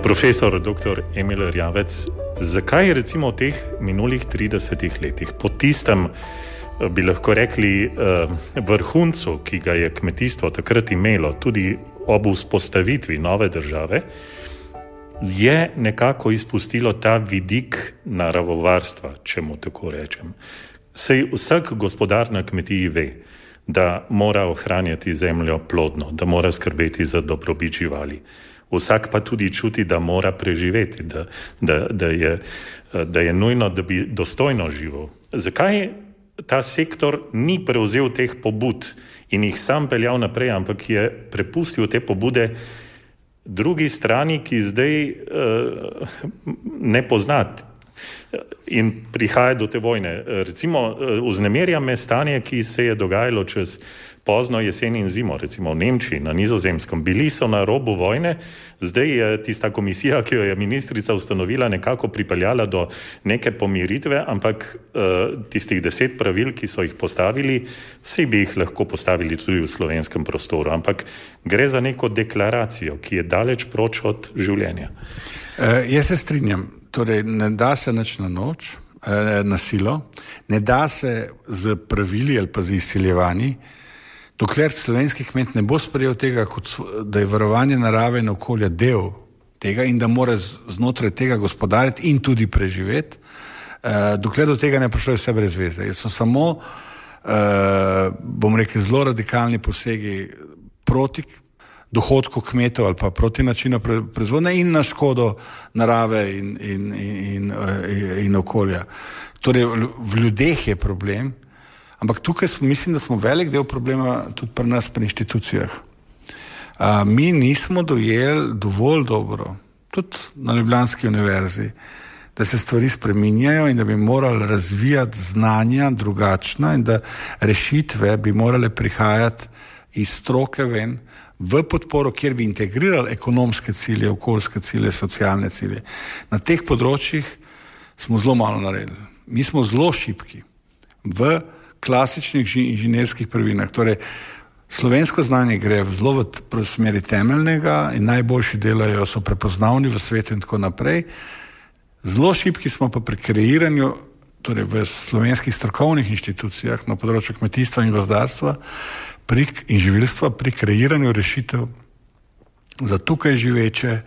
Profesor doktor Emil Erjavec, zakaj recimo v teh minulih tridesetih letih, po tistem, bi lahko rekli, vrhuncu, ki ga je kmetijstvo takrat imelo, tudi ob vzpostavitvi nove države, je nekako izpustilo ta vidik naravovarstva, če mu tako rečem. Sej vsak gospodar na kmetiji ve, da mora ohranjati zemljo plodno, da mora skrbeti za dobrobit živali. Vsak pa tudi čuti, da mora preživeti, da, da, da, je, da je nujno, da bi dostojno živel. Zakaj ta sektor ni prevzel teh pobud in jih sam peljal naprej, ampak je prepustil te pobude drugi strani, ki zdaj uh, ne pozna in prihaja do te vojne. Recimo, vznemirja me stanje, ki se je dogajalo čez pozno jesen in zimo, recimo v Nemčiji, na Nizozemskem. Bili so na robu vojne, zdaj je tista komisija, ki jo je ministrica ustanovila, nekako pripeljala do neke pomiritve, ampak uh, tistih deset pravil, ki so jih postavili, vsi bi jih lahko postavili tudi v slovenskem prostoru, ampak gre za neko deklaracijo, ki je daleč proč od življenja. Uh, jaz se strinjam, torej ne da se nič na noč, uh, na silo, ne da se z pravili ali pa z izsiljevanji, dokler slovenski kmet ne bo sprejel tega, kot, da je varovanje narave in okolja del tega in da mora znotraj tega gospodariti in tudi preživeti, eh, dokler do tega ne prišlo vse brez veze. So samo, eh, bom rekel, zelo radikalni posegi proti dohodku kmetov ali pa proti načinu proizvodnje in na škodo narave in, in, in, in, in okolja. Torej, v ljudeh je problem, ampak tukaj smo, mislim, da smo velik del problema tudi pri nas, pri inštitucijah. A, mi nismo dojeli dovolj dobro, tudi na Ljubljanski univerzi, da se stvari spreminjajo in da bi morali razvijati znanja drugačna in da rešitve bi morale prihajati iz stroke ven v podporo, kjer bi integrirali ekonomske cilje, okoljske cilje, socialne cilje. Na teh področjih smo zelo malo naredili. Mi smo zelo šibki v klasičnih inženirskih prvinah. Torej, slovensko znanje gre zelo v smeri temeljnega in najboljši delajo, so prepoznavni v svetu in tako naprej. Zelo šibki smo pa pri kreiranju, torej v slovenskih strokovnih inštitucijah na področju kmetijstva in gozdarstva pri, in živilstva pri kreiranju rešitev za tukaj živeče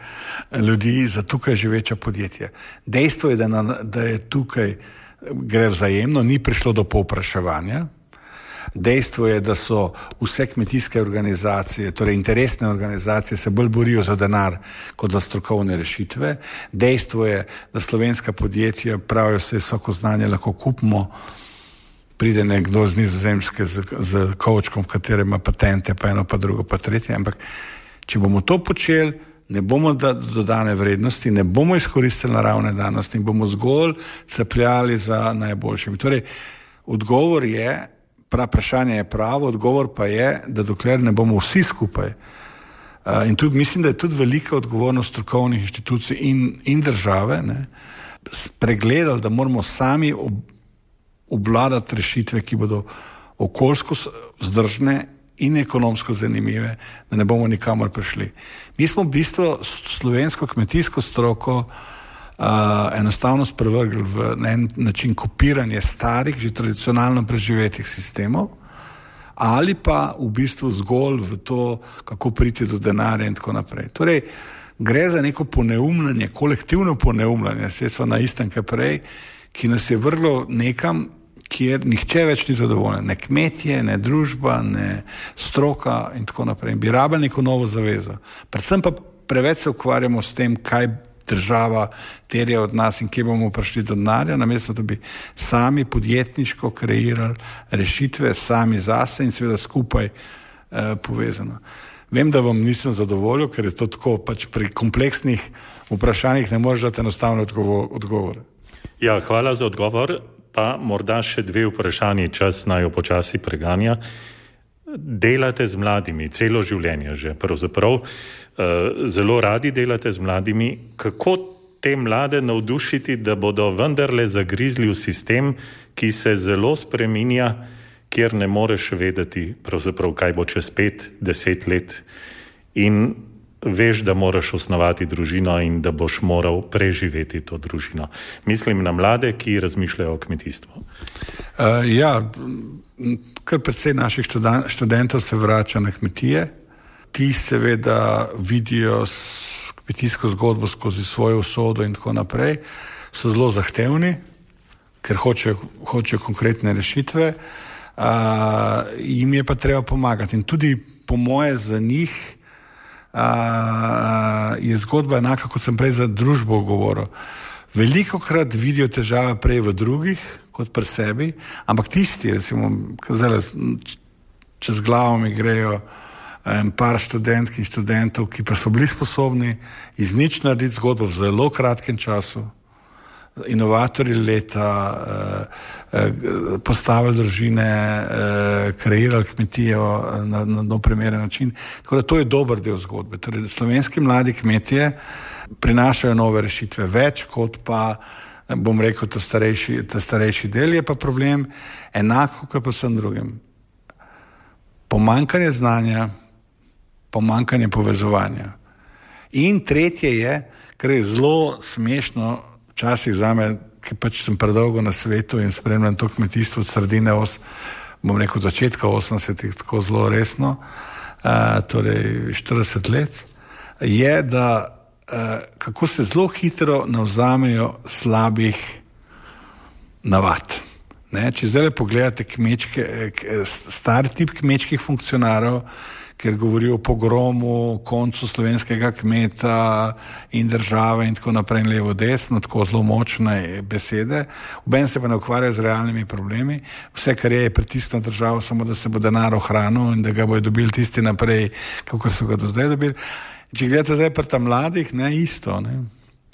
ljudi, za tukaj živeča podjetja. Dejstvo je, da, na, da je tukaj gre vzajemno, ni prišlo do povpraševanja. Dejstvo je, da so vse kmetijske organizacije, torej interesne organizacije, se bolj borijo za denar kot za strokovne rešitve. Dejstvo je, da slovenska podjetja pravijo, se visoko znanje lahko kupimo, pride nekdo z Nizozemske z, z kovčkom, v katerem ima patente, pa eno, pa drugo, pa tretje. Ampak če bomo to počeli ne bomo dodane vrednosti, ne bomo izkoristili naravne danosti in bomo zgolj cepljali za najboljšimi. Torej, odgovor je, prav vprašanje je pravo, odgovor pa je, da dokler ne bomo vsi skupaj. Uh, in tudi mislim, da je tudi velika odgovornost strokovnih inštitucij in, in države, ne, spregledali, da moramo sami ob, obvladati rešitve, ki bodo okoljsko vzdržne in ekonomsko zanimive, da ne bomo nikamor prišli. Mi smo v bistvu slovensko kmetijsko stroko uh, enostavno sprevrgli v na en način kopiranje starih, že tradicionalno preživetih sistemov, ali pa v bistvu zgolj v to, kako priti do denarja in tako naprej. Torej, gre za neko poneumljanje, kolektivno poneumljanje, sredstva na istem, kaj prej, ki nas je vrlo nekam, kjer nihče več ni zadovoljen. Ne kmetje, ne družba, ne stroka in tako naprej. In bi rabili neko novo zavezo. Predvsem pa preveč se ukvarjamo s tem, kaj država terja od nas in kje bomo prišli do denarja, namesto da bi sami podjetniško kreirali rešitve, sami zase in seveda skupaj eh, povezano. Vem, da vam nisem zadovoljil, ker je to tako, pač pri kompleksnih vprašanjih ne moreš dati enostavno odgovore. Ja, hvala za odgovor. Pa morda še dve vprašanje, čas naj jo počasi preganja. Delate z mladimi celo življenje že, pravzaprav zelo radi delate z mladimi. Kako te mlade navdušiti, da bodo vendarle zagrizli v sistem, ki se zelo spreminja, kjer ne moreš vedeti, pravzaprav kaj bo čez pet, deset let in veš, da moraš osnovati družino in da boš moral preživeti to družino. Mislim na mlade, ki razmišljajo o kmetijstvu. Uh, ja, kar precej naših študentov se vrača na kmetije. Ti seveda vidijo kmetijsko zgodbo skozi svojo usodo in tako naprej. So zelo zahtevni, ker hočejo, hočejo konkretne rešitve. Uh, jim je pa treba pomagati. In tudi po moje za njih Uh, je zgodba enaka, kot sem prej za družbo govoril. Veliko krat vidijo težave prej v drugih, kot pri sebi, ampak tisti, recimo, zdaj, čez glavo mi grejo en par študentk in študentov, ki pa so bili sposobni iz nič narediti zgodbo v zelo kratkem času, inovatorji leta, eh, eh, postavili družine, eh, kreirali kmetijo na, na, na primeren način. Tako da to je dober del zgodbe. Torej, slovenski mladi kmetije prinašajo nove rešitve več, kot pa, bom rekel, ta starejši, ta starejši del. Je pa problem enako, kot pa vsem drugim. Pomanjkanje znanja, pomanjkanje povezovanja. In tretje je, kar je zelo smešno, včasih zame, ki pač sem predolgo na svetu in spremljam to kmetijstvo od sredine, os, bom rekel, začetka osemdesetih tako zelo resno, uh, torej štirideset let, je, da uh, kako se zelo hitro navzamejo slabih navad. Ne? Če zdaj pogledate kmečke, star tip kmečkih funkcionarov, ker govorijo o pogromu, koncu slovenskega kmeta in države in tako naprej in levo desno, tako zelo močne besede. Oben se pa ne ukvarjajo z realnimi problemi. Vse, kar je, je pritisk na državo, samo da se bo denar ohranil in da ga bojo dobili tisti naprej, kako so ga do zdaj dobili. Če gledate zdaj pri ta mladih, ne, isto, ne.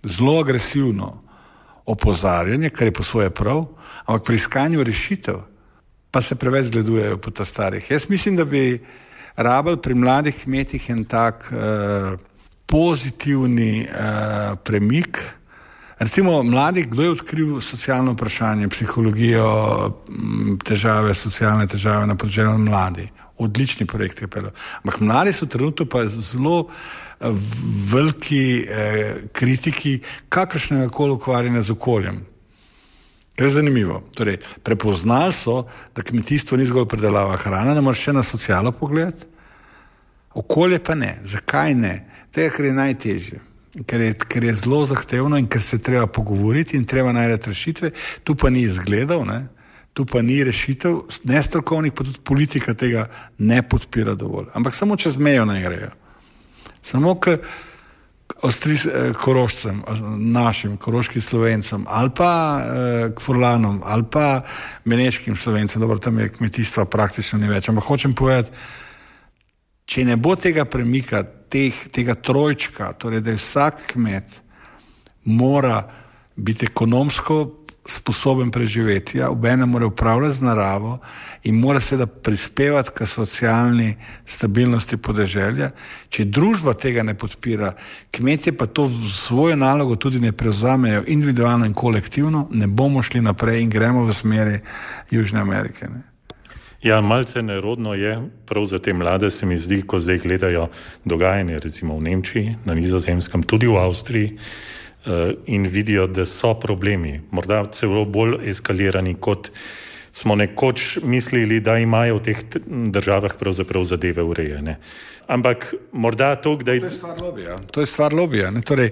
Zelo agresivno opozarjanje, kar je po svoje prav, ampak pri iskanju rešitev pa se preveč zgledujejo po ta starih. Jaz mislim, da bi rabili pri mladih kmetih en tak uh, pozitivni uh, premik. Recimo mladih, kdo je odkril socialno vprašanje, psihologijo, težave, socialne težave na področju mladi. Odlični projekt je pel. Ampak mladi so trenutno pa zelo uh, veliki uh, kritiki kakršnega koli ukvarjanja z okoljem. Kar je zanimivo. Torej, prepoznali so, da kmetijstvo ni zgolj predelava hrane, da moraš še na socialo pogledati. Okolje pa ne. Zakaj ne? Tega, ker je najtežje. Ker je, ker je zelo zahtevno in ker se treba pogovoriti in treba najti rešitve. Tu pa ni izgledov, ne? Tu pa ni rešitev, nestrokovnih, pa tudi politika tega ne podpira dovolj. Ampak samo čez mejo naj grejo. Samo k Ostri, Korošcem, našim koroškim Slovencem, ali pa eh, k Furlanom, ali pa beneškim Slovencem, dobro, tam je kmetijstva praktično ni več. Ampak hočem povedati, če ne bo tega premika teh, tega trojčka, torej da je vsak kmet mora biti ekonomsko sposoben preživetja, obenem mora upravljati z naravo in mora seveda prispevati k socialni stabilnosti podeželja. Če družba tega ne podpira, kmetje pa to svojo nalogo tudi ne prevzamejo individualno in kolektivno, ne bomo šli naprej in gremo v smeri Južne Amerike. Ne? Ja, malce nerodno je, prav za te mlade se mi zdi, ko zdaj gledajo dogajanje recimo v Nemčiji, na Nizozemskem, tudi v Avstriji, in vidijo, da so problemi, morda celo bolj eskalirani, kot smo nekoč mislili, da imajo v teh državah pravzaprav zadeve urejene. Ampak morda to, da... To je stvar lobija. To je stvar lobija. Ne? Torej,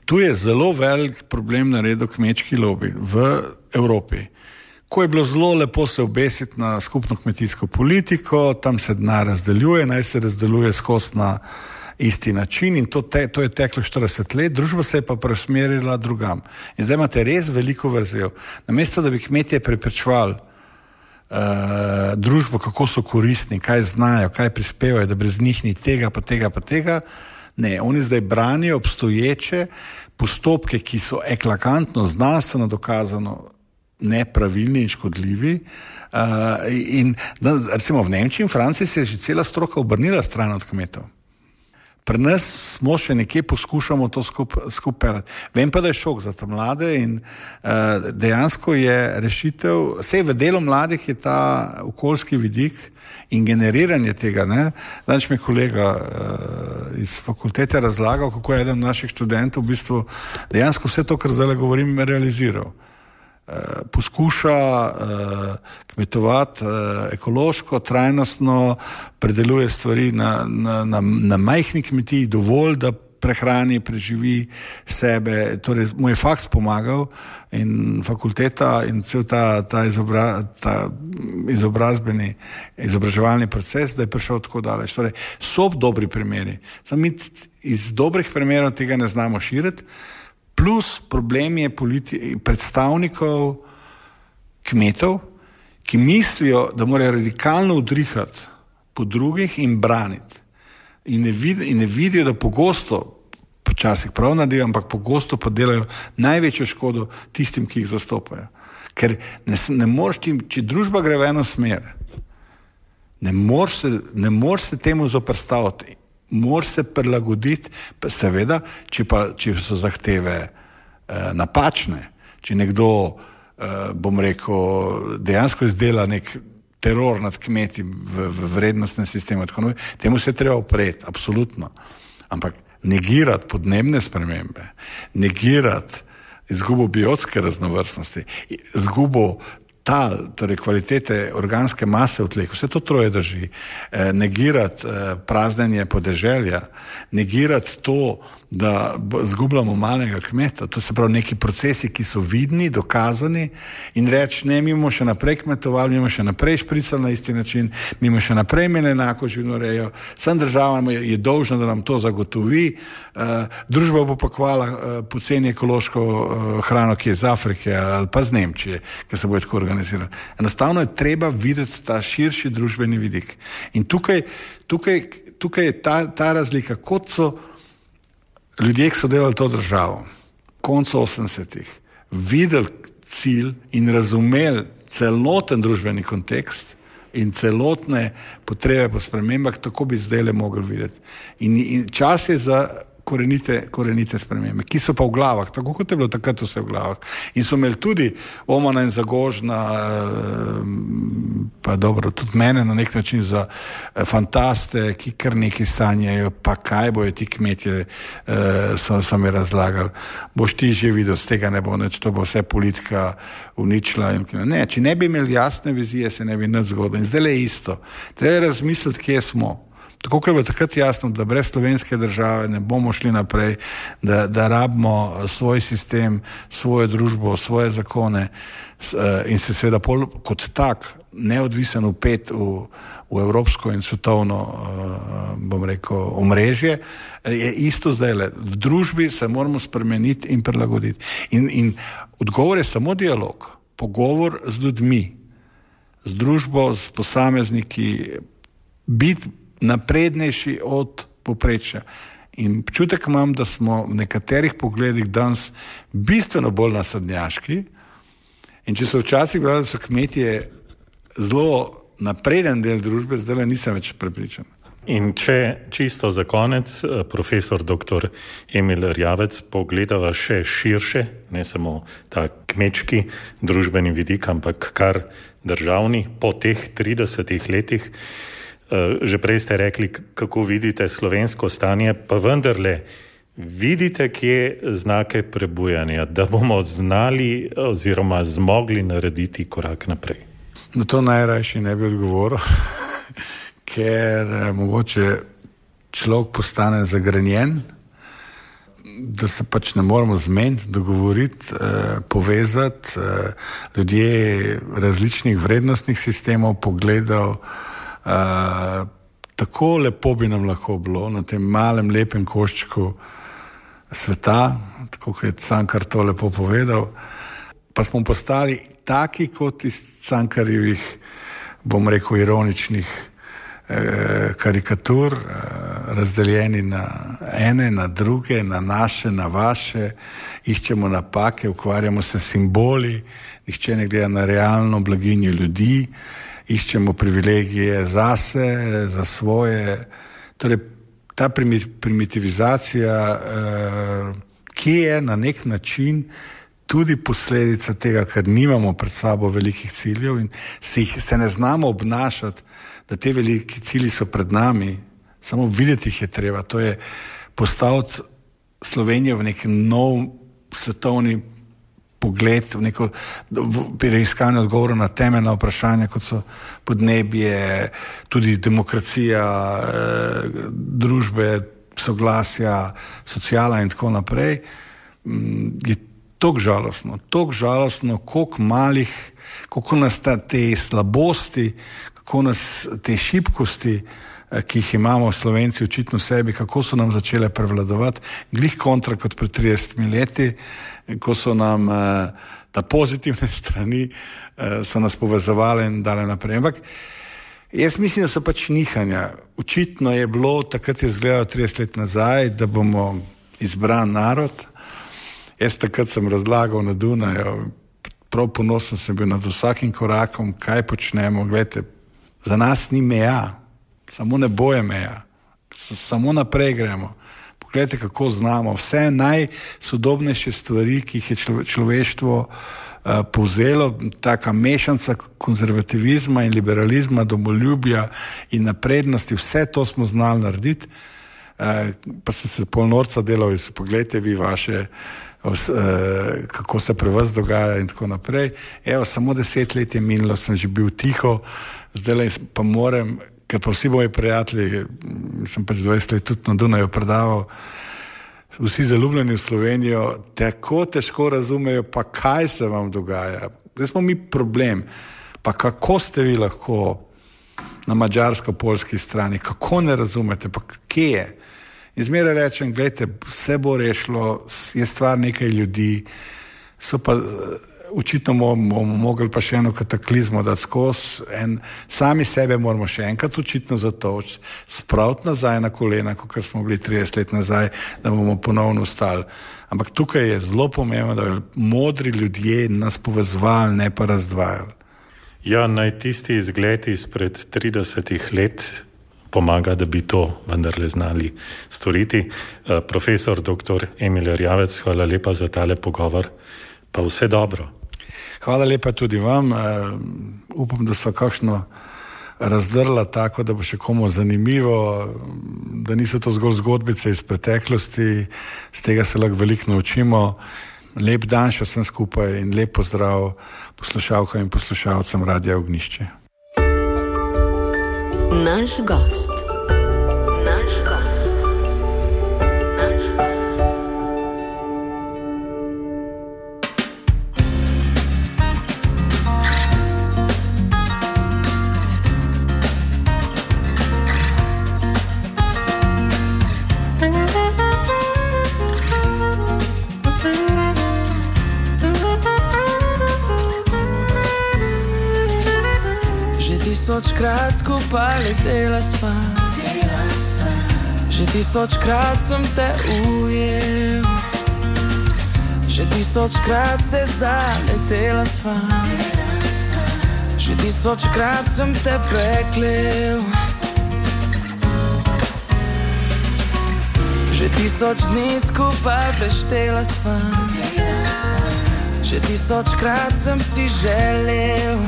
tu je zelo velik problem naredil kmečki lobi v Evropi. Ko je bilo zelo lepo se obesiti na skupno kmetijsko politiko, tam se denar razdeljuje, naj se razdeljuje skozi na isti način in to, te, to je teklo štirideset let, družba se je pa preusmerila drugam. In zdaj imate res veliko vrzel. Namesto, da bi kmetje preprečevali uh, družbo, kako so koristni, kaj znajo, kaj prispevajo, da brez njih ni tega, pa tega, pa tega, ne, oni zdaj branijo obstoječe postopke, ki so eklatantno, znanstveno dokazano nepravilni in škodljivi. Uh, in da, recimo v Nemčiji in Franciji se je že cela stroka obrnila stran od kmetov. Pri nas smo še nekje poskušamo to skupaj skup pelati. Vem pa, da je šok za ta mlade in uh, dejansko je rešitev, vsej v delu mladih je ta okoljski vidik in generiranje tega. Danes mi je kolega uh, iz fakultete razlagal, kako je eden naših študentov v bistvu dejansko vse to, kar zdaj govorim, realiziral. Uh, poskuša uh, kmetovati uh, ekološko, trajnostno, predeluje stvari na, na, na, na majhni kmetiji dovolj, da prehrani, preživi sebe. Torej, mu je faks pomagal in fakulteta in cel ta, ta, izobra, ta izobrazbeni, izobraževalni proces, da je prišel tako daleč. Torej, so dobri primeri. Samo mi iz dobrih primerov tega ne znamo širiti. Plus problem je politi- predstavnikov kmetov, ki mislijo, da morajo radikalno udrihati po drugih in braniti. In ne, vid- in ne vidijo, da pogosto, počasih prav naredijo, ampak pogosto pa delajo največjo škodo tistim, ki jih zastopajo. Ker ne, ne moreš tim, če družba gre v eno smer, ne moreš se, ne moreš se temu zoperstaviti. Moraš se prilagoditi, seveda, če, pa, če so zahteve eh, napačne, če nekdo, eh, bom rekel, dejansko izdela nek teror nad kmeti v, v vrednostnem sistemu, tako naprej, temu se treba upreti, absolutno. Ampak negirati podnebne spremembe, negirati izgubo biotske raznovrstnosti, izgubo tal, torej kvalitete organske mase v tleh, vse to troje drži. E, negirati e, praznjenje podeželja, negirati to, da zgubljamo malega kmeta, to se pravi neki procesi, ki so vidni, dokazani in reči, ne, mi bomo še naprej kmetovali, mi bomo še naprej špricali na isti način, mi bomo še naprej imeli enako živinorejo, sem država je, je dolžna, da nam to zagotovi, e, družba bo pa kvala e, poceni ekološko e, hrano, ki je iz Afrike ali pa z Nemčije, ker se bo tako organizirali. Enostavno je treba videti ta širši družbeni vidik. In tukaj, tukaj, tukaj je ta, ta razlika, kot so ljudje, ki so delali to državo, koncu osemdesetih, videli cilj in razumeli celoten družbeni kontekst in celotne potrebe po spremembah, tako bi zdaj le mogli videti. In, in čas je za korenite, korenite spremembe, ki so pa v glavah, tako kot je bilo takrat vse v glavah. In so imeli tudi Omana in Zagožna, pa dobro, tudi mene na nek način za fantaste, ki kar nekaj sanjajo, pa kaj bojo ti kmetje, so, so mi razlagali. Boš ti že videl, z tega ne bo nič, to bo vse politika uničila. Ne, če ne bi imeli jasne vizije, se ne bi nič zgodilo. In zdaj je isto. Treba razmisliti, kje smo. Tako, ker je bilo takrat jasno, da brez slovenske države ne bomo šli naprej, da, da rabimo svoj sistem, svojo družbo, svoje zakone in se seveda pol kot tak neodvisen upet v, v evropsko in svetovno, bom rekel, omrežje, je isto zdaj. V družbi se moramo spremeniti in prilagoditi. In, in odgovor je samo dialog, pogovor z ljudmi, z družbo, s posamezniki, biti naprednejši od povprečja. In občutek imam, da smo v nekaterih pogledih danes bistveno bolj nasadnjaški. In če so včasih gledali, da so kmetje zelo napreden del družbe, zdaj nisem več prepričan. In če čisto za konec, profesor doktor Emil Erjavec, pogledava še širše, ne samo ta kmečki družbeni vidik, ampak kar državni po teh tridesetih letih. Že prej ste rekli, kako vidite slovensko stanje, pa vendarle vidite, kje znake prebujanja, da bomo znali oziroma zmogli narediti korak naprej. Na to najrajši ne bi odgovoril, ker eh, mogoče človek postane zagrenjen, da se pač ne moramo zmeniti, dogovoriti, eh, povezati, eh, ljudje različnih vrednostnih sistemov, pogledov. Uh, tako lepo bi nam lahko bilo na tem malem, lepem koščku sveta, tako kot je Cankar to lepo povedal, pa smo postali taki kot iz Cankarjevih, bom rekel, ironičnih eh, karikatur, eh, razdeljeni na ene, na druge, na naše, na vaše, iščemo napake, ukvarjamo se s simboli, nihče ne gleda na realno blaginjo ljudi, iščemo privilegije zase, za svoje. Torej, ta primitivizacija, eh, ki je na nek način tudi posledica tega, ker nimamo pred sabo velikih ciljev in se, jih, se ne znamo obnašati, da te veliki cilji so pred nami, samo videti jih je treba. To je postaviti Slovenijo v nek nov svetovni pogled, v neko preiskanje odgovorov na temeljna vprašanja, kot so podnebje, tudi demokracija, eh, družbe, soglasja, sociala in tako naprej, je toliko žalostno, toliko žalostno, koliko malih, koliko nas ta, te slabosti, kako nas te šibkosti, ki jih imamo Slovenci očitno v sebi, kako so nam začele prevladovati, glih kontra kot pred tridesetimi leti, ko so nam eh, ta pozitivne strani eh, so nas povezovali in dale naprej. Ampak jaz mislim, da so pač nihanja. Očitno je bilo, takrat je izgledalo trideset let nazaj, da bomo izbran narod. Jaz takrat sem razlagal na Dunaju, prav ponosen sem bil nad vsakim korakom, kaj počnemo. Glejte, za nas ni meja, samo ne boje meja, samo naprej gremo. Pogledajte, kako znamo. Vse najsodobnejše stvari, ki jih je človeštvo uh, povzelo, taka mešanca konzervativizma in liberalizma, domoljubja in naprednosti, vse to smo znali narediti. Uh, pa sem se pol norca delal in pogledajte vi vaše, uh, kako se pri vas dogaja in tako naprej. Evo, samo deset let je minilo, sem že bil tiho, zdaj pa moram, ker pa vsi moji prijatelji, sem pač dvajset let tudi na Dunaju predaval, vsi zaljubljeni v Slovenijo, tako težko razumejo, pa kaj se vam dogaja. Zdaj smo mi problem, pa kako ste vi lahko na mađarsko-poljski strani, kako ne razumete, pa kje je? In zmeraj rečem, gledajte, vse bo rešilo, je stvar nekaj ljudi, so pa očitno bomo mogli pa še eno kataklizmo dati skozi, en, sami sebe moramo še enkrat očitno zatoč, spraviti nazaj na kolena, kot smo bili trideset let nazaj, da bomo ponovno ostali. Ampak tukaj je zelo pomembno, da bi modri ljudje nas povezovali, ne pa razdvajali. Ja, naj tisti izgled izpred tridesetih let pomaga, da bi to vendarle znali storiti. Uh, profesor doktor Emil Erjavec, hvala lepa za tale pogovor, pa vse dobro. Hvala lepa tudi vam. Uh, upam, da sva kakšno razdrla tako, da bo še komu zanimivo, da niso to zgolj zgodbice iz preteklosti, z tega se lahko veliko naučimo. Lep dan še vsem skupaj in lep pozdrav poslušalkam in poslušalcem Radia Ognjišče. Naš gost. Naš gost. Naš gost. Tisočkrat skupaj letela sva, Že tisočkrat sem te ujel, že tisočkrat se zaletela sva, že tisočkrat sem te preklel, že tisoč dni skupaj preštela sva, že tisočkrat sem si želel,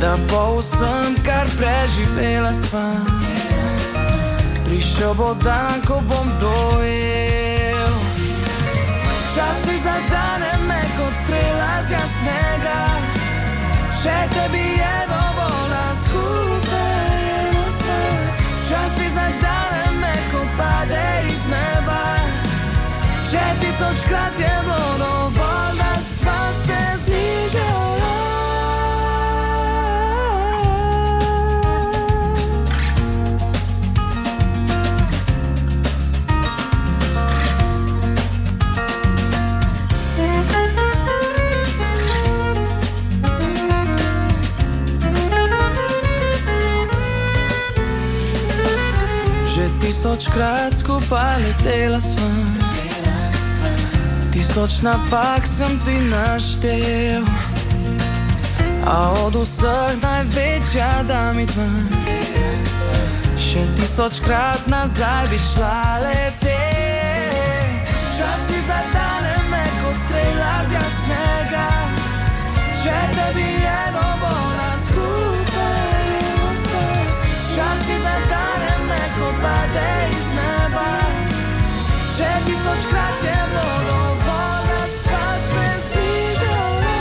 da bo vsem, kar preživela sva, prišel bo dan, ko bom dojel. Včasih zadane me kot strela z jasnega, če tebi je dovolj, skupaj jemo sve. Včasih zadane me, ko pade iz neba, če tisočkrat je bilo dovolj, da sva se zbližala. Tisočkrat skupaj letela sva, tisoč napak sem ti naštel, a od vseh največja da mi dva. Še tisočkrat nazaj bi šla letet. Včasih zadane me kot strela z jasnega, če tebi je dovolj, skupaj jemo sve. Včasih zadane me, ko pade iz neba, če tisočkrat je bilo dovolj, da sva se zbližala.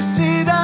si da